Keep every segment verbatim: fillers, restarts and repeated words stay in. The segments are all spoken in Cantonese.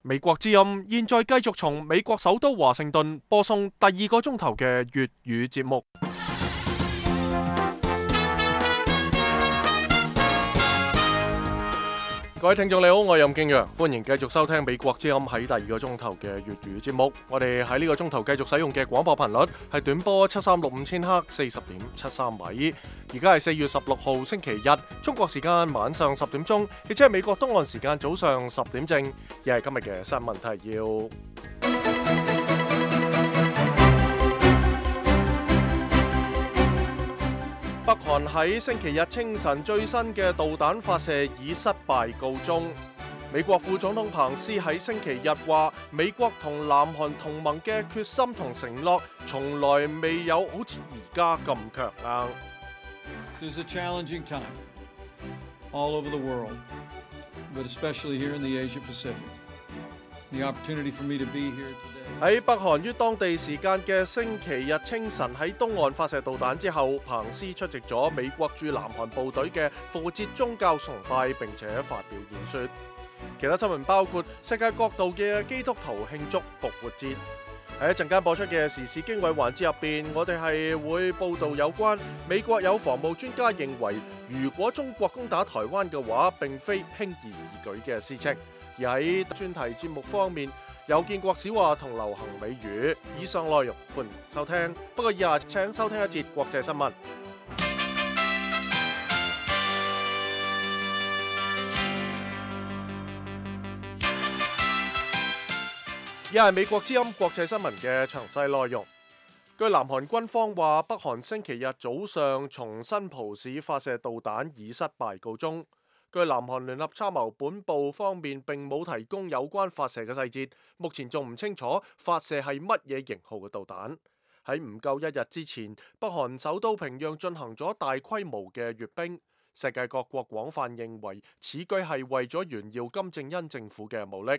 美國之音現在繼續從美國首都華盛頓播送第二個鐘頭嘅粵語節目。各位聽眾你好，我係任敬陽，歡迎繼續收聽美國之音喺第二個鐘頭嘅粵語節目。我哋喺呢個鐘頭繼續使用嘅廣播頻率係短波七三六五千赫四十點七三米。而家係四月十六號星期日，中國時間晚上十點鐘，亦即係美國東岸時間早上十點正。又係今日嘅新聞提要。北韓喺星期日清晨最新嘅導彈發射以失敗告終。美國副總統彭斯喺星期日話，美國同南韓同盟嘅決心同承諾，從來未有好似而家咁強硬。This is a challenging time all over the world, but especially here in the Asia Pacific. The opportunity for me to be here today. 喺北韓於當地時間嘅星期日清晨喺東岸發射導彈之後，彭斯出席咗美國駐南韓部隊嘅復活節宗教崇拜，並且發表演說。其他新聞包括世界各度嘅基督徒慶祝復活節。喺一陣間播出嘅時事經緯環節入邊，我哋係會報導有關美國有防務專家認為，如果中國攻打台灣嘅話，並非輕而易舉嘅事情。而喺專題節目方面，有建國史話同流行美語。以上內容歡迎收聽。不過以下請收聽一節國際新聞。以下係美國之音國際新聞嘅詳細內容。據南韓軍方話，北韓星期日早上從新浦市發射導彈以失敗告終。據南韓聯合參謀本部方面並冇提供有關發射嘅細節，目前仲唔清楚發射係乜嘢型號嘅導彈。喺唔夠一日之前，北韓首都平壤進行咗大規模嘅閱兵，世界各國廣泛認為此舉係為咗炫耀金正恩政府嘅武力。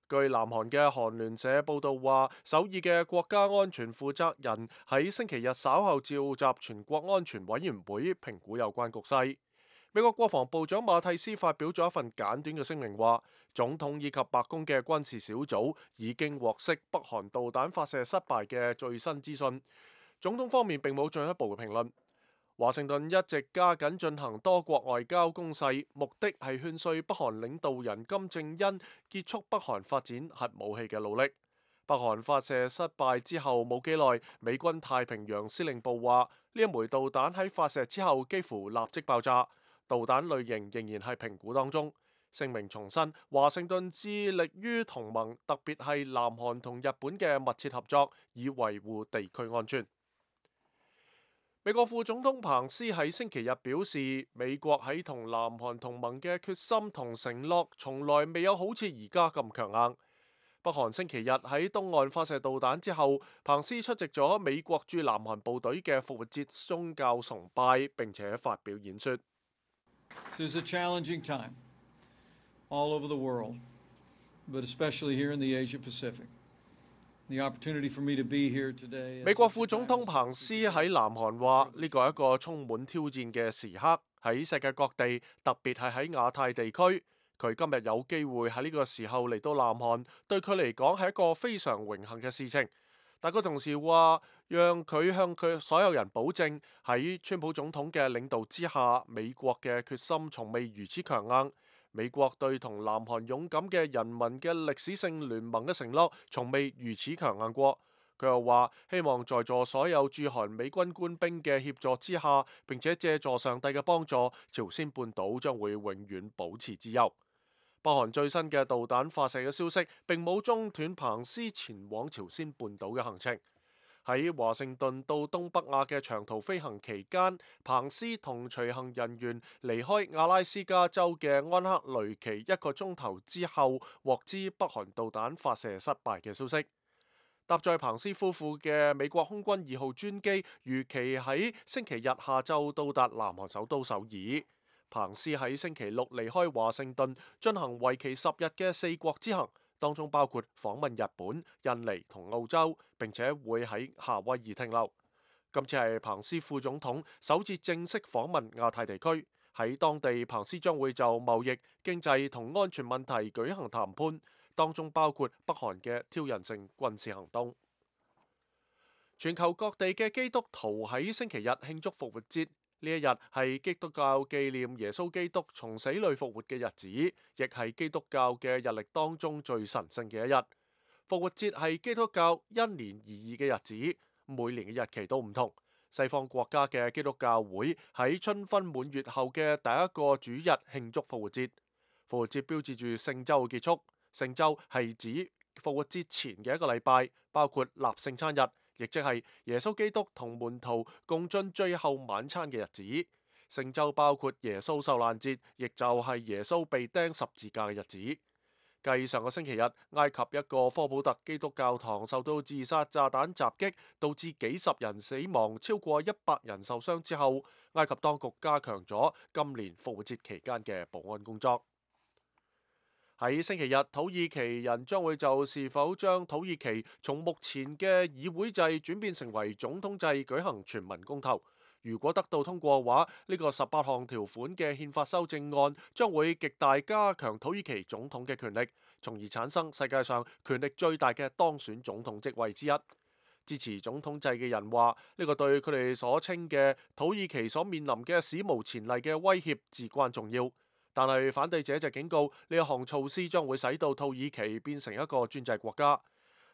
據南韓嘅韓聯社報道話，首爾嘅國家安全負責人喺星期日稍後召集全國安全委員會評估有關局勢。美國國防部長馬蒂斯發表咗一份簡短嘅聲明，話總統以及白宮嘅軍事小組已經獲悉北韓導彈發射失敗嘅最新資訊。總統方面並冇進一步嘅評論。華盛頓一直加緊進行多國外交攻勢，目的係勸說北韓領導人金正恩結束北韓發展核武器嘅努力。北韓發射失敗之後冇幾耐，美軍太平洋司令部話呢一枚導彈喺發射之後幾乎立即爆炸。導彈類型仍然係評估當中。聲明重申，華盛頓致力於同盟，特別係南韓同日本嘅密切合作，以維護地區安全。美國副總統彭斯喺星期日表示，美國喺同南韓同盟嘅決心同承諾，從來未有好似而家咁強硬。北韓星期日喺東岸發射導彈之後，彭斯出席咗美國駐南韓部隊嘅復活節宗教崇拜，並且發表演說。This is a challenging time all over the world, but especially here in the Asia Pacific. The opportunity for me to be here today. 美國副總統彭斯喺南韓話：呢個係一個充滿挑戰嘅時刻，喺世界各地，特別係喺亞太地區。佢今日有機會喺呢個時候嚟到南韓，對佢嚟講係一個非常榮幸嘅事情。但佢同時話，讓佢向佢所有人保證，喺川普總統嘅領導之下，美國嘅決心從未如此強硬。美國對同南韓勇敢嘅人民嘅歷史性聯盟嘅承諾，從未如此強硬過。佢又話，希望在座所有駐韓美軍官兵嘅協助之下，並且借助上帝嘅幫助，朝鮮半島將會永遠保持自由。北韓最新嘅導彈發射嘅消息並冇中斷彭斯前往朝鮮半島嘅行程。喺華盛頓到東北亞嘅長途飛行期間，彭斯同隨行人員離開阿拉斯加州嘅安克雷奇一個鐘頭之後，獲知北韓導彈發射失敗嘅消息。搭載彭斯夫婦嘅美國空軍二號專機預期喺星期日下晝到達南韓首都首爾。彭斯喺星期六離開華盛頓，進行為期十日嘅四國之行，當中包括訪問日本、印尼同澳洲，並且會喺夏威夷停留。今次係彭斯副總統首次正式訪問亞太地區，喺當地彭斯將會就貿易、經濟同安全問題舉行談判，當中包括北韓嘅挑釁性軍事行動。全球各地嘅基督徒喺星期日慶祝復活節，呢一日係基督教紀念耶穌基督從死裏復活嘅日子，亦係基督教嘅日曆當中最神聖嘅一日。復活節係基督教因年而異嘅日子，每年嘅日期都唔同。西方國家嘅基督教會喺春分滿月後嘅第一個主日慶祝復活節。復活節標誌住聖週嘅結束，聖週係指復活節前嘅一個禮拜，包括立聖餐日，亦即係耶穌基督同門徒共進最後晚餐嘅日子。聖週包括耶穌受難節，亦就係耶穌被釘十字架嘅日子。繼上個星期日，埃及一個科普特基督教堂受到自殺炸彈襲擊，導致幾十人死亡，超過一百人受傷之後，埃及當局加強咗今年復活節期間嘅保安工作。喺星期日，土耳其人將會就是否將土耳其從目前嘅議會制轉變成為總統制舉行全民公投。如果得到通過嘅話，呢個十八項條款嘅憲法修正案將會極大加強土耳其總統嘅權力，從而產生世界上權力最大嘅當選總統職位之一。支持總統制嘅人話，呢個對佢哋所稱嘅土耳其所面臨嘅史無前例嘅威脅至關重要。但係反對者就警告，呢一項措施將會使到土耳其變成一個專制國家。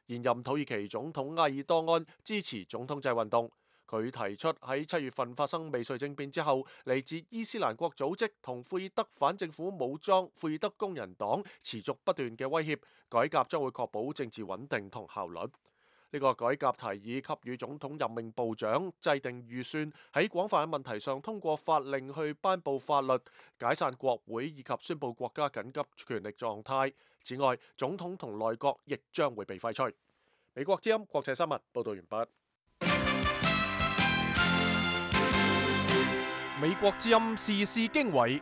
現任土耳其總統埃爾多安支持總統制運動。佢提出喺七月份發生未遂政變之後，嚟自伊斯蘭國組織同庫爾德反政府武裝庫爾德工人黨持續不斷嘅威脅，改革將會確保政治穩定同效率。呢個改革提議給予總統任命部長制定預算，喺廣泛嘅問題上通過法令去頒布法律、解散國會以及宣布國家緊急權力狀態。此外，總統同內閣亦將會被廢除。美國之音國際新聞報道完畢。美國之音時事經緯，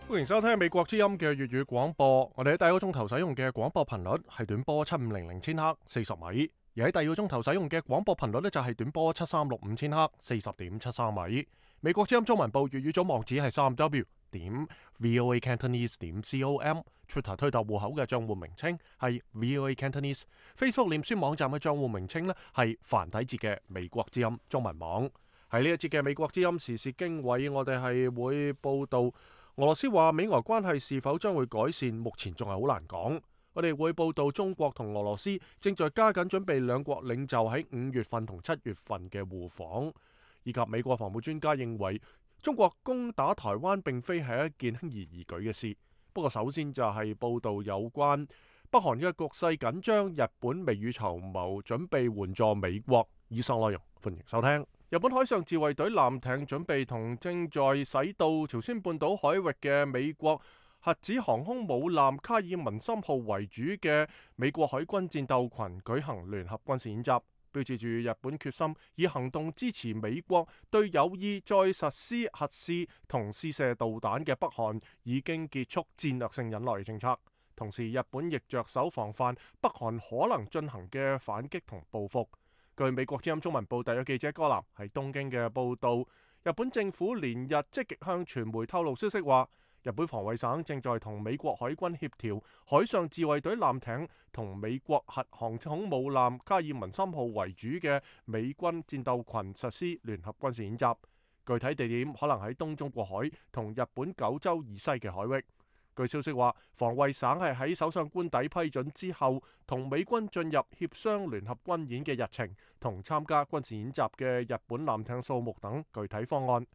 歡迎收聽美國之音嘅粵語廣播。我哋喺第一個鐘頭使用嘅廣播頻率係短波七五零零千赫四十米，而喺第二個鐘頭使用嘅廣播頻率呢，就係短波七三六五千赫四十點七三米。美國之音中文部粵語組網址係三 w 點 voa cantonese 點 com，Twitter 推特戶口嘅賬戶名稱係 voa cantonese，Facebook 臉書網站嘅賬戶名稱呢係繁體字嘅美國之音中文網。喺呢一節嘅美國之音時事經緯，我哋係會報道俄羅斯話美俄關係是否將會改善，目前仲係好難講。我哋會報道中國同俄羅斯正在加緊準備兩國領袖喺五月份同七月份嘅互訪，以及美國防務專家認為中國攻打台灣並非係一件輕而易舉嘅事。不過首先就係報道有關北韓嘅局勢緊張，日本未雨綢繆，準備援助美國。以上內容歡迎收聽。日本海上自衛隊艦艇準備同正在駛到朝鮮半島海域嘅美國核子航空母艦卡爾文森號為主嘅美國海軍戰鬥群舉行聯合軍事演習，標誌住日本決心以行動支持美國對有意再實施核試同試射導彈嘅北韓已經結束戰略性忍耐嘅政策。同時，日本亦着手防範北韓可能進行嘅反擊同報復。據美國之音中文部特約記者戈南喺東京嘅報道，日本政府連日積極向傳媒透露消息話，日本防衛省正在同美國海軍協調海上自衛隊艦艇同美國核航空母艦卡爾文森號為主嘅美軍戰鬥群實施聯合軍事演習，具體地點可能喺東中國海同日本九州以西嘅海域。據消息話，防衛省係喺首相官邸批准之後，同美軍進入協商聯合軍演嘅日程同參加軍事演習嘅日本艦艇數目等具體方案。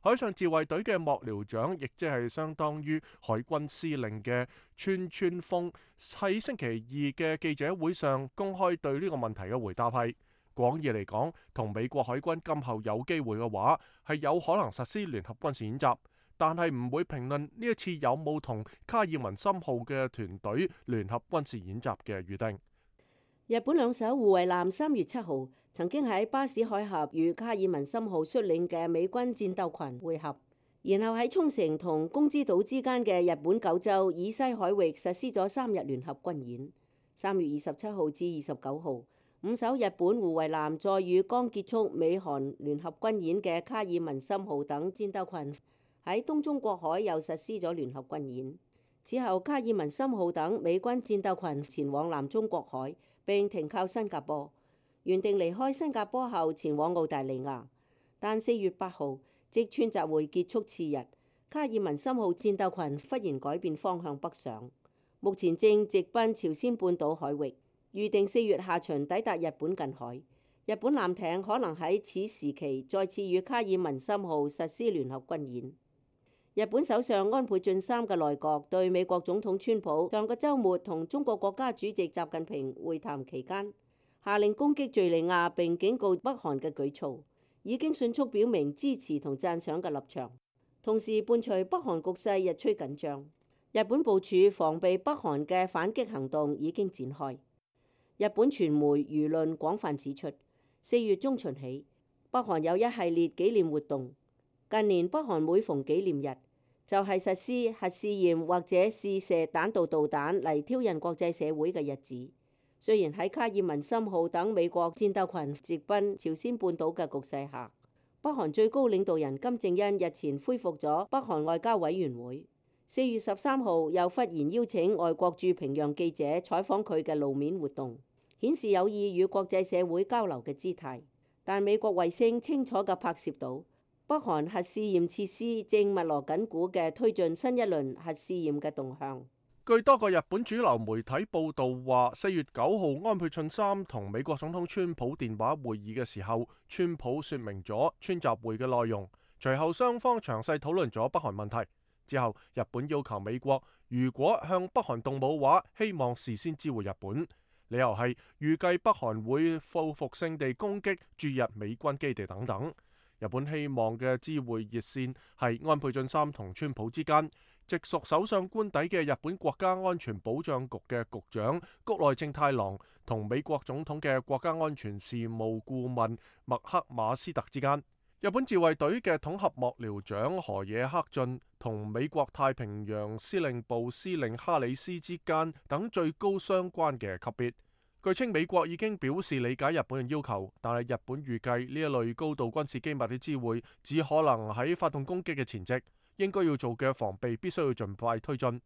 海上自衛隊嘅幕僚長，亦即係相當於海軍司令嘅川川豐，喺星期二嘅記者會上公開對呢個問題嘅回答係：廣義嚟講，同美國海軍今後有機會嘅話，係有可能實施聯合軍事演習。但係唔會評論呢一次有冇同卡爾文森號嘅團隊聯合軍事演習嘅預定。日本兩艘護衛艦三月七號曾經喺巴士海峽與卡爾文森號率領嘅美軍戰鬥群會合，然後喺沖繩同宮之島之間嘅日本九州以西海域實施咗三日聯合軍演。三月二十七號至二十九號，五艘日本護衛艦再與剛結束美韓聯合軍演嘅卡爾文森號等戰鬥群喺東中國海又實施咗聯合軍演。此後，卡爾文森號等美軍戰鬥群前往南中國海並停靠新加坡，原定離開新加坡後前往澳大利亞，但四月八號即川集會結束次日，卡爾文森號戰鬥群忽然改變方向北上，目前正直奔朝鮮半島海域，預定四月下旬抵達日本近海。日本艦艇可能喺此時期再次與卡爾文森號實施聯合軍演。日本首相安倍晉三嘅內閣對美國總統川普上個週末同中國國家主席習近平會談期間，下令攻擊敍利亞並警告北韓嘅舉措，已經迅速表明支持同讚賞嘅立場。同時伴隨北韓局勢日趨緊張，日本部署防備北韓嘅反擊行動已經展開。日本傳媒輿論廣泛指出，四月中旬起，北韓有一系列紀念活動。近年北韓每逢紀念日，就係實施核試驗或者試射彈道導彈嚟挑釁國際社會嘅日子。雖然喺卡爾文森號等美國戰鬥群直奔朝鮮半島嘅局勢下，北韓最高領導人金正恩日前恢復咗北韓外交委員會。四月十三號又忽然邀請外國駐平壤記者採訪佢嘅露面活動，顯示有意與國際社會交流嘅姿態。但美國衛星清楚嘅拍攝到，北韓核試驗設施正密鑼緊鼓嘅推進新一輪核試驗嘅動向。據多個日本主流媒體報道話，四月九號安倍晉三同美國總統川普電話會議嘅時候，川普說明咗川習會嘅內容。隨後雙方詳細討論咗北韓問題。之後，日本要求美國如果向北韓動武話，希望事先知會日本。理由係預計北韓會報復性地攻擊駐日美軍基地等等。日本希望嘅知會熱線係安倍晉三同川普之間，直屬首相官邸嘅日本國家安全保障局嘅局長谷內正太郎同美國總統嘅國家安全事務顧問麥克馬斯特之間。日本自衛隊嘅統合幕僚長河野克俊同美國太平洋司令部司令哈里斯之間等最高相關嘅級別。據稱美國已經表示理解日本嘅要求，但係日本預計呢一類高度軍事機密嘅知會只可能喺發動攻擊嘅前夕，應該要做嘅防備必須要盡快推進。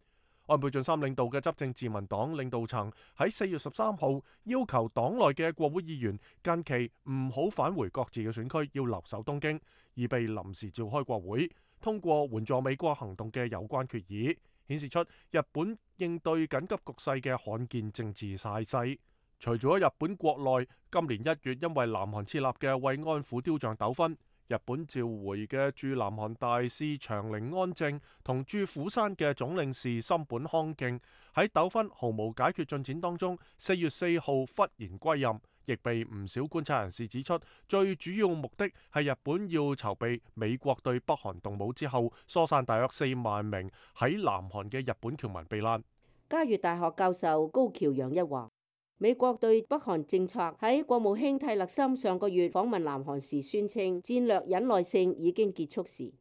安倍晉三領導嘅執政自民黨領導層喺四月十三號要求黨內嘅國會議員近期唔好返回各自嘅選區，要留守東京，以備臨時召開國會，通過援助美國行動嘅有關決議，顯示出日本應對緊急局勢嘅罕見政治態勢。除咗日本國內，今年一月因為南韓設立嘅慰安婦雕像糾紛，日本召回嘅駐南韓大使長陵安正同駐釜山嘅總領事森本康敬喺糾紛毫無解決進展當中，四月四號忽然歸任，亦被唔少觀察人士指出，最主要目的係日本要籌備美國對北韓動武之後，疏散大約四萬名喺南韓嘅日本僑民避難。嘉悦大學教授高橋洋一話，美國對北韓政策喺國務卿蒂勒森上個月訪問南韓時宣稱戰略忍耐性已經結束時，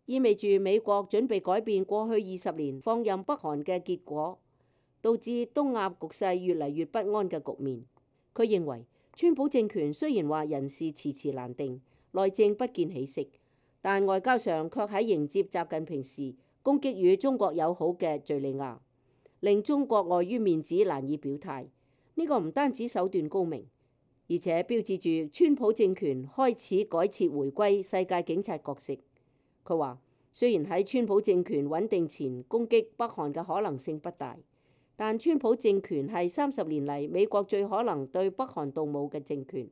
意味住美國準備改變過去二十年放任北韓嘅結果，導致東亞局勢越嚟越不安嘅局面。佢認為川普政權雖然話人事遲遲難定，內政不見起色，但外交上卻喺迎接習近平時攻擊與中國友好嘅敍利亞，令中國礙於面子難以表態。呢個唔單止手段高明，而且標誌住川普政權開始改設回歸世界警察角色。佢話，雖然喺川普政權穩定前攻擊北韓嘅可能性不大，但川普政權係三十年嚟美國最可能對北韓動武嘅政權。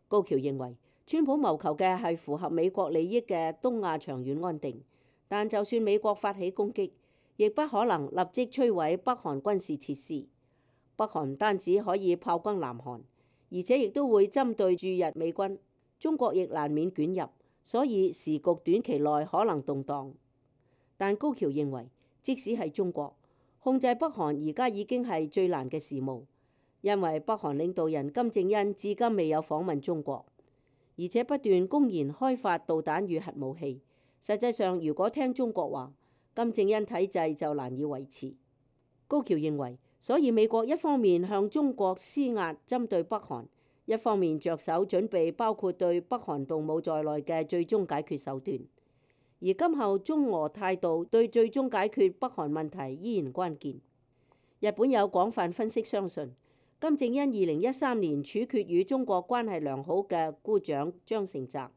高橋認為，川普謀求嘅係符合美國利益嘅東亞長遠安定，但就算美國發起攻擊，亦不可能立即摧毀北韓軍事設施。北韓唔單止可以炮轟南韓，而且亦都會針對駐日美軍，中國亦難免捲入，所以時局短期內可能動盪。但高橋認為，即使係中國控制北韓，而家已經係最難嘅事務，因為北韓領導人金正恩至今未有訪問中國，而且不斷公然開發導彈與核武器。實際上，如果聽中國話，金正恩體制就難以維持。高橋認為，所以美國一方面向中國施壓針對北韓，一方面着手準備包括對北韓動武在內嘅最終解決手段。而今後中俄態度對最終解決北韓問題依然關鍵。日本有廣泛分析相信，金正恩二零一三年處決與中國關係良好嘅姑丈張成澤，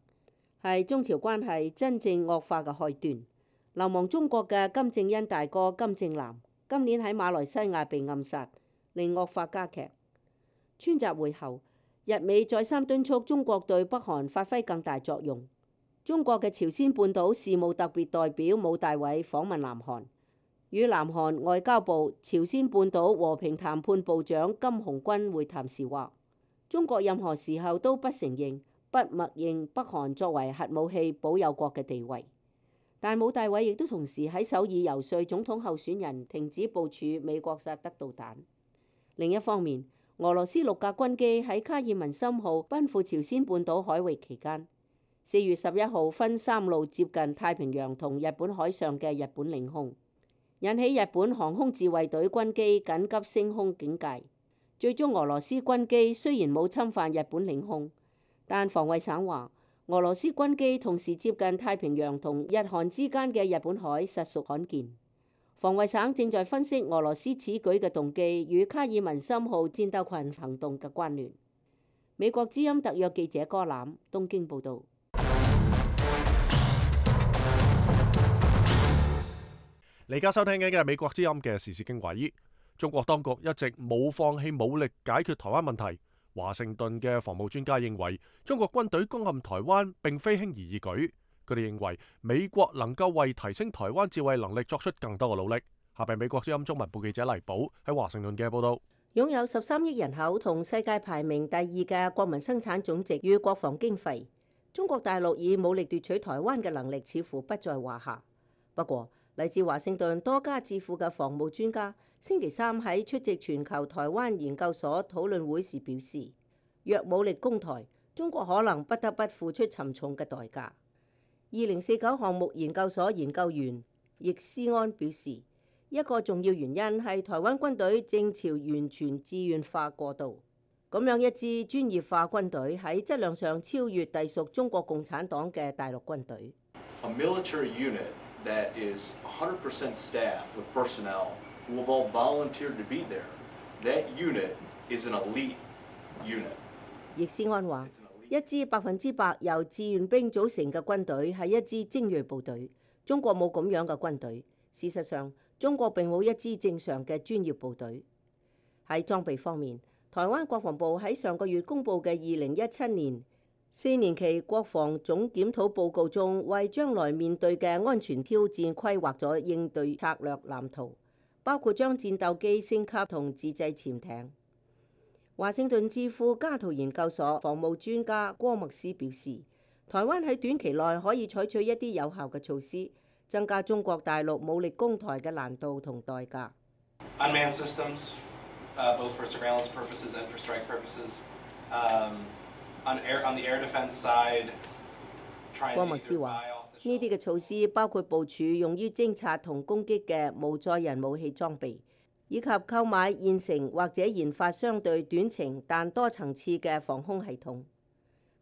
係中朝關係真正惡化嘅開端。流亡中國嘅金正恩大哥金正男今年喺馬來西亞被暗殺，令惡化加劇。川習會後，日美再三敦促中國對北韓發揮更大作用。中國嘅朝鮮半島事務特別代表武大偉訪問南韓，與南韓外交部朝鮮半島和平談判部長金洪軍會談時話，中國任何時候都不承認、不默認北韓作為核武器保有國嘅地位。但武大偉亦都同時喺首爾遊說總統候選人停止部署美國薩德導彈。另一方面，俄羅斯六架軍機喺卡爾文森號奔赴朝鮮半島海域期間，四月十一號分三路接近太平洋同日本海上嘅日本領空，引起日本航空自衛隊軍機緊急升空警戒。最終俄羅斯軍機雖然冇侵犯日本領空，但防衛省話俄羅斯軍機同時接近太平洋同日韓之間嘅日本海實屬罕見。防衛省正在分析俄羅斯此舉嘅動機與卡爾文森號戰鬥群行動嘅關聯。美國之音特約記者柯攬東京報導。你而家收聽緊嘅係美國之音嘅時事經緯。中國當局一直冇放棄武力解決台灣問題。華盛頓嘅防務專家認為，中國軍隊攻陷台灣並非輕而易舉。佢哋認為美國能夠為提升台灣自衛能力作出更多嘅努力。下邊美國之音中文部記者黎寶喺華盛頓嘅報道。擁有十三億人口同世界排名第二嘅國民生產總值與國防經費，中國大陸以武力奪取台灣嘅能力似乎不在話下。不過，嚟自華盛頓多家智庫嘅防務專家星期三喺出席全球台灣研究所討論會時表示，若武力攻台，中國可能不得不付出沉重嘅代價。二零四九項目研究所研究員易思安表示，一個重要原因係台灣軍隊正朝完全志願化過渡，咁樣一支專業化軍隊喺質量上超越隸屬中國共產黨嘅大陸軍隊。A military unit that is one hundred percent staffed with personnel who have all volunteered to be there. That unit is an elite unit. 易思安話，一支百分之百由志願兵組成嘅軍隊係一支精鋭部隊。中國冇咁樣嘅軍隊。事實上，中國並冇一支正常嘅專業部隊。喺裝備方面，台灣國防部喺上個月公布嘅二零一七年四年期國防總檢討報告中，為將來面對嘅安全挑戰規劃咗應對策略藍圖，包括將戰鬥機升級同自製潛艇。華盛頓智庫加圖研究所防務專家郭麥斯表示，台灣喺短期內可以採取一啲有效嘅措施，增加中國大陸武力攻台嘅難度同代價。Unmanned systems, uh, both for surveillance purposes and for strike purposes. Um, on air, on the air defense side, trying to 郭麥斯話，呢啲嘅措施包括部署用於偵察同攻擊嘅無載人武器裝備，以及購買現成或者研發相對短程但多層次嘅防空系統。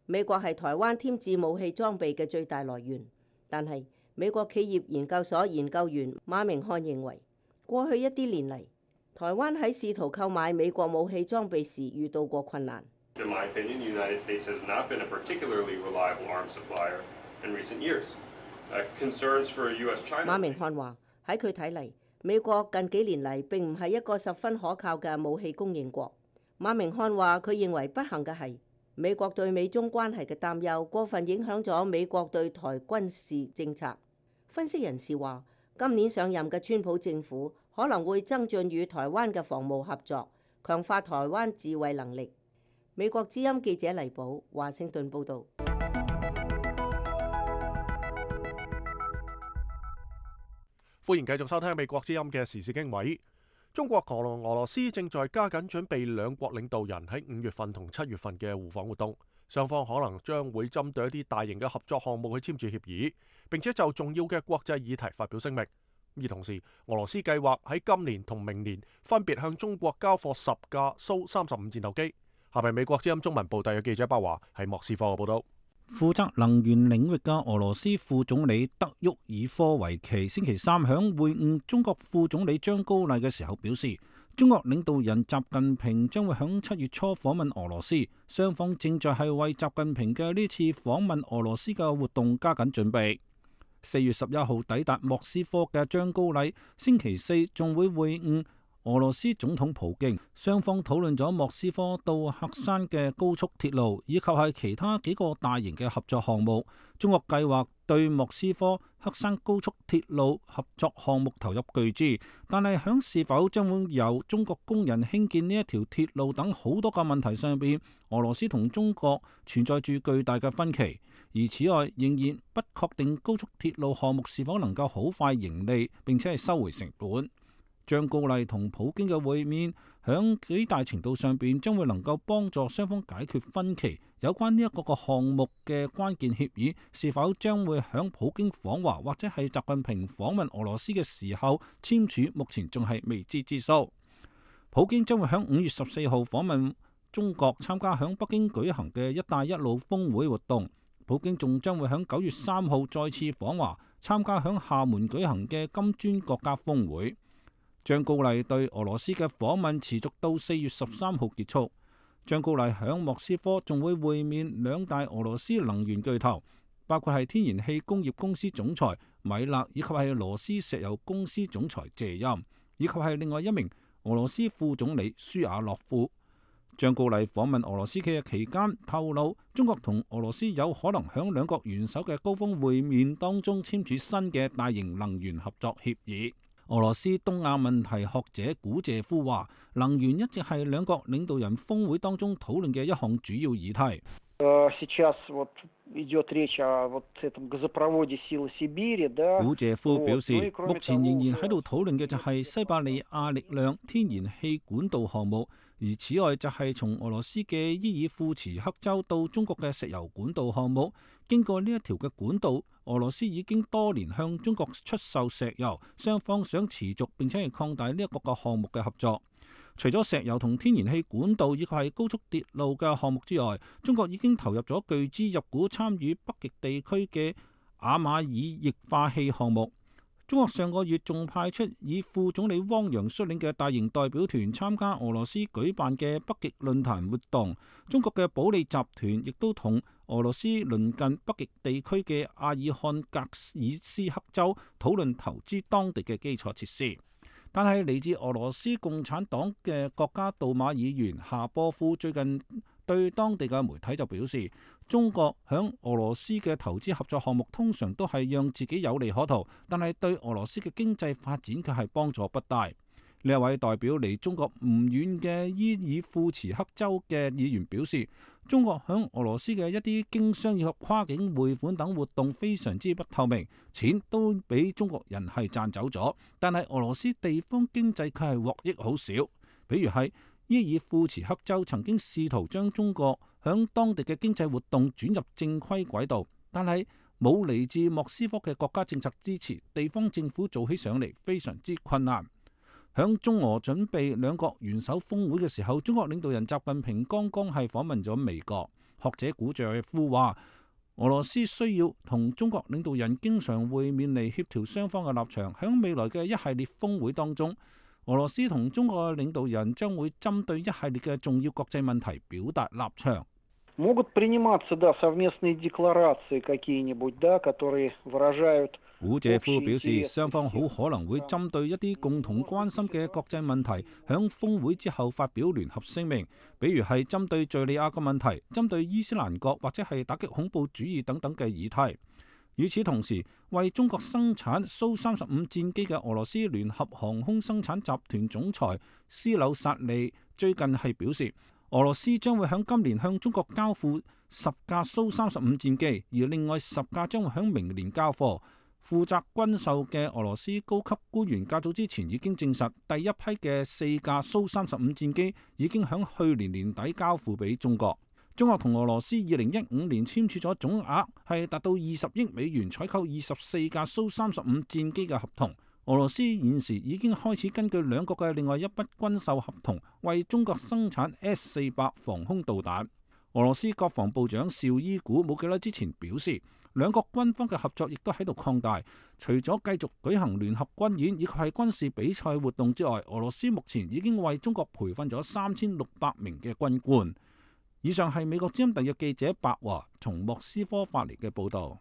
美國係台灣添置武器裝備嘅最大來源，但係美國企業研究所研究員馬明漢認為，過去一啲年嚟，台灣喺試圖購買美國武器裝備時遇到過困難。In my opinion, the United States has not been a particularly reliable arms supplier in recent years. Uh, concerns for U S-China. 馬明漢話：喺佢睇嚟，美國近幾年嚟並唔係一個十分可靠嘅武器供應國。馬明漢話：佢認為不幸嘅係，美國對美中關係嘅擔憂過分影響咗美國對台軍事政策。分析人士話，今年上任嘅川普政府可能會增進與台灣嘅防務合作，強化台灣自衛能力。美國之音記者黎寶，華盛頓報導。歡迎繼續收聽美國之音嘅時事經緯。中國同俄羅斯正在加緊準備兩國領導人喺五月份同七月份嘅互訪活動，雙方可能將會針對一啲大型嘅合作項目去簽署協議，並且就重要嘅國際議題發表聲明。而同時，俄羅斯計劃喺今年同明年分別向中國交貨十架蘇三十五戰鬥機。下邊美國之音中文部特約記者巴華喺莫斯科嘅報道。負責能源領域嘅俄羅斯副總理德沃爾科維奇星期三響會晤中國副總理張高麗嘅時候表示，中國領導人習近平將會響七月初訪問俄羅斯，雙方正在係為習近平嘅呢次訪問俄羅斯嘅活動加緊準備。四月十一號抵達莫斯科嘅張高麗星期四仲會會晤俄羅斯總統普京，雙方討論咗莫斯科到喀山嘅高速鐵路，以及係其他幾個大型嘅合作項目。中國計劃對莫斯科喀山高速鐵路合作項目投入巨資，但係響是否將會由中國工人興建呢一條鐵路等好多個問題上邊，俄羅斯同中國存在住巨大嘅分歧。而此外，仍然不確定高速鐵路項目是否能夠好快盈利，並且係收回成本。張高麗同普京嘅會面，響幾大程度上邊將會能夠幫助雙方解決分歧。有關呢一個個項目嘅關鍵協議，是否將會響普京訪華或者係習近平訪問俄羅斯嘅時候簽署，目前仲係未知之數。普京將會響五月十四號訪問中國，參加響北京舉行嘅一帶一路峰會活動。普京仲將會響九月三號再次訪華，參加響廈門舉行嘅金磚國家峰會。張高麗對俄羅斯嘅訪問持續到四月十三號結束。張高麗響莫斯科仲會會面兩大俄羅斯能源巨頭，包括係天然氣工業公司總裁米勒，以及係羅斯石油公司總裁謝欽，以及係另外一名俄羅斯副總理舒亞洛夫。張高麗訪問俄羅斯嘅期間透露，中國同俄羅斯有可能響兩國元首嘅高峰會面當中簽署新嘅大型能源合作協議。俄羅斯東亞問題學者古謝夫話，能源一直係兩國領導人峰會當中討論嘅一項主要議題。古謝夫表示，目前仍然喺度討論嘅就係西伯利亞力量天然氣管道項目，而此外就係從俄羅斯嘅伊爾庫茨克州到中國嘅石油管道項目。經過呢一條嘅管道，俄羅斯已經多年向中國出售石油，雙方想持續並且係擴大呢一個個項目嘅合作。除咗石油同天然氣管道以及係高速鐵路嘅項目之外，中國已經投入咗巨資入股參與北極地區嘅亞馬爾液化氣項目。中國上個月仲派出以副總理汪洋率領嘅大型代表團參加俄羅斯舉辦嘅北極論壇活動。中國嘅保利集團亦都同俄羅斯鄰近北極地區嘅阿爾漢格爾斯克州討論投資當地嘅基礎設施。但係嚟自俄羅斯共產黨嘅國家杜馬議員夏波夫最近對當地嘅媒體就表示，中國響俄羅斯嘅投資合作項目通常都係讓自己有利可圖，但係對俄羅斯嘅經濟發展卻係幫助不大。呢一位代表離中國唔遠嘅伊爾庫茨克州嘅議員表示，中國響俄羅斯嘅一啲經商以及跨境匯款等活動非常之不透明，錢都俾中國人係賺走咗，但係俄羅斯地方經濟卻係獲益好少。比如係伊爾庫茨克州曾經試圖將中國響當地嘅經濟活動轉入正規軌道，但係冇嚟自莫斯科嘅國家政策支持，地方政府做起上嚟非常之困難。響中俄準備兩國元首峰會嘅時候，中國領導人習近平剛剛係訪問咗美國。學者古謝夫話，俄羅斯需要同中國領導人經常會面嚟協調雙方嘅立場。響未來嘅一系列峰會當中，俄羅斯同中國嘅領導人將會針對一系列嘅重要國際問題表達立場。古謝夫表示，雙方好可能會針對一啲共同關心嘅國際問題，響峰會之後發表聯合聲明，比如係針對敘利亞嘅問題、針對伊斯蘭國或者係打擊恐怖主義等等嘅議題。與此同時，為中國生產蘇三十五戰機嘅俄羅斯聯合航空生產集團總裁斯紐薩利最近係表示，俄羅斯將會響今年向中國交付十架蘇三十五戰機，而另外十架將會響明年交貨。負責軍售嘅俄羅斯高級官員較早之前已經證實，第一批嘅四架蘇三十五戰機已經響去年年底交付俾中國。中國同俄羅斯二零一五年簽署咗總額係達到二十億美元採購二十四架蘇三十五戰機嘅合同。俄羅斯現時已經開始根據兩國嘅另外一筆軍售合同，為中國生產 S 四百防空導彈。俄羅斯國防部長紹伊古冇幾耐之前表示，兩國軍方嘅合作亦都喺度擴大。除咗繼續舉行聯合軍演以及係軍事比賽活動之外，俄羅斯目前已經為中國培訓咗三千六百名嘅軍官。以上係美國之音特約記者白華從莫斯科發嚟嘅報導。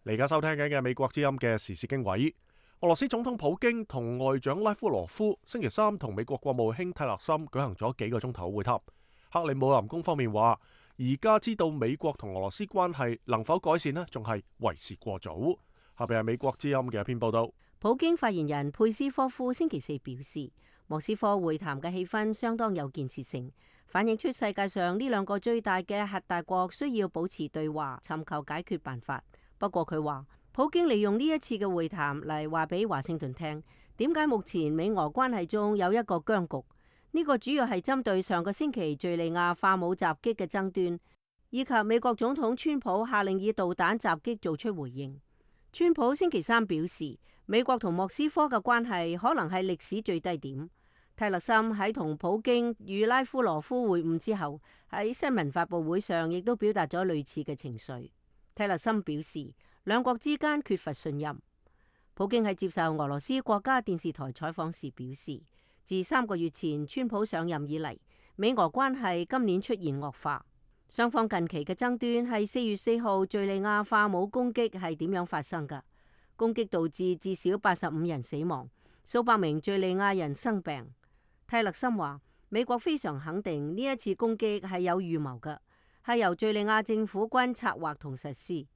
你而家收聽緊嘅美國之音嘅時事經緯，俄羅斯總統普京同外長拉夫羅夫星期三同美國國務卿泰勒森舉行咗幾個鐘頭會談。克里姆林宮方面話，而家知道美國同俄羅斯關係能否改善呢，仲係為時過早。下邊係美國之音嘅一篇報道。普京發言人佩斯科夫星期四表示，莫斯科會談嘅氣氛相當有建設性，反映出世界上呢兩個最大嘅核大國需要保持對話，尋求解決辦法。不過佢話，普京利用呢一次嘅會談嚟話俾華盛頓聽，點解目前美俄關係中有一個僵局。呢個主要係針對上個星期敘利亞化武襲擊嘅爭端，以及美國總統川普下令以導彈襲擊做出回應。川普星期三表示，美國同莫斯科嘅關係可能係歷史最低點。泰勒森喺同普京與拉夫羅夫會晤之後，喺新聞發佈會上亦都表達咗類似嘅情緒。泰勒森表示，兩國之間缺乏信任。普京喺接受俄羅斯國家電視台採訪時表示，自三個月前川普上任以嚟，美俄關係今年出現惡化。雙方近期嘅爭端係四月四號敘利亞化武攻擊係點樣發生㗎？攻擊導致至少八十五人死亡，數百名敘利亞人生病。泰勒森話，美國非常肯定呢一次攻擊係有預謀嘅，係由敘利亞政府軍策劃同實施。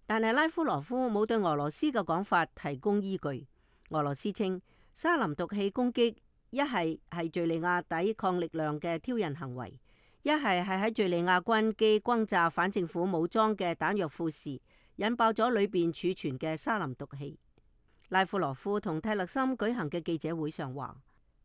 但係拉夫羅夫冇對俄羅斯嘅講法提供依據。俄羅斯稱沙林毒氣攻擊一係係敘利亞抵抗力量嘅挑釁行為，一係係喺敘利亞軍機轟炸反政府武裝嘅彈藥庫時，引爆咗裏邊儲存嘅沙林毒氣。拉夫羅夫同泰勒森舉行嘅記者會上話，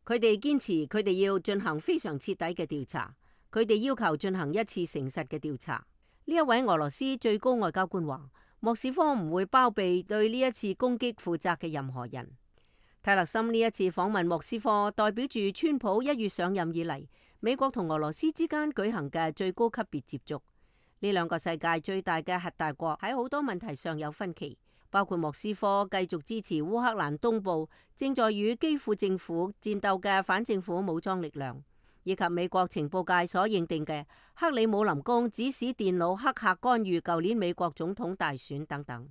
佢哋堅持佢哋要進行非常徹底嘅調查，佢哋要求進行一次誠實嘅調查。呢一位俄羅斯最高外交官話，莫斯科唔會包庇對呢一次攻擊負責嘅任何人。泰勒森呢一次訪問莫斯科，代表住川普一月上任以嚟，美國同俄羅斯之間舉行嘅最高級別接觸。呢兩個世界最大嘅核大國喺好多問題上有分歧，包括莫斯科繼續支持烏克蘭東部正在與基輔政府戰鬥嘅反政府武裝力量，以及美國情報界所認定嘅克里姆林宮指使電腦黑客干預舊年美國總統大選等等。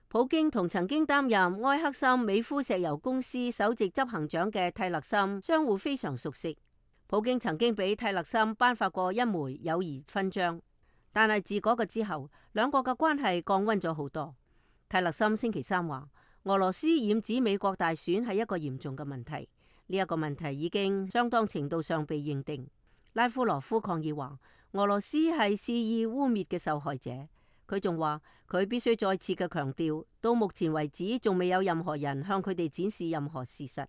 普京同曾經擔任埃克森美孚石油公司首席執行長嘅泰勒森相互非常熟悉。普京曾經俾泰勒森頒發過一枚友誼勳章，但係自嗰個之後，兩國嘅關係降溫咗好多。泰勒森星期三話，俄羅斯染指美國大選係一個嚴重嘅問題，呢一個問題已經相當程度上被認定。拉夫羅夫抗議話，俄羅斯係肆意污衊嘅受害者。佢仲話，佢必須再次嘅強調，到目前為止仲未有任何人向佢哋展示任何事實。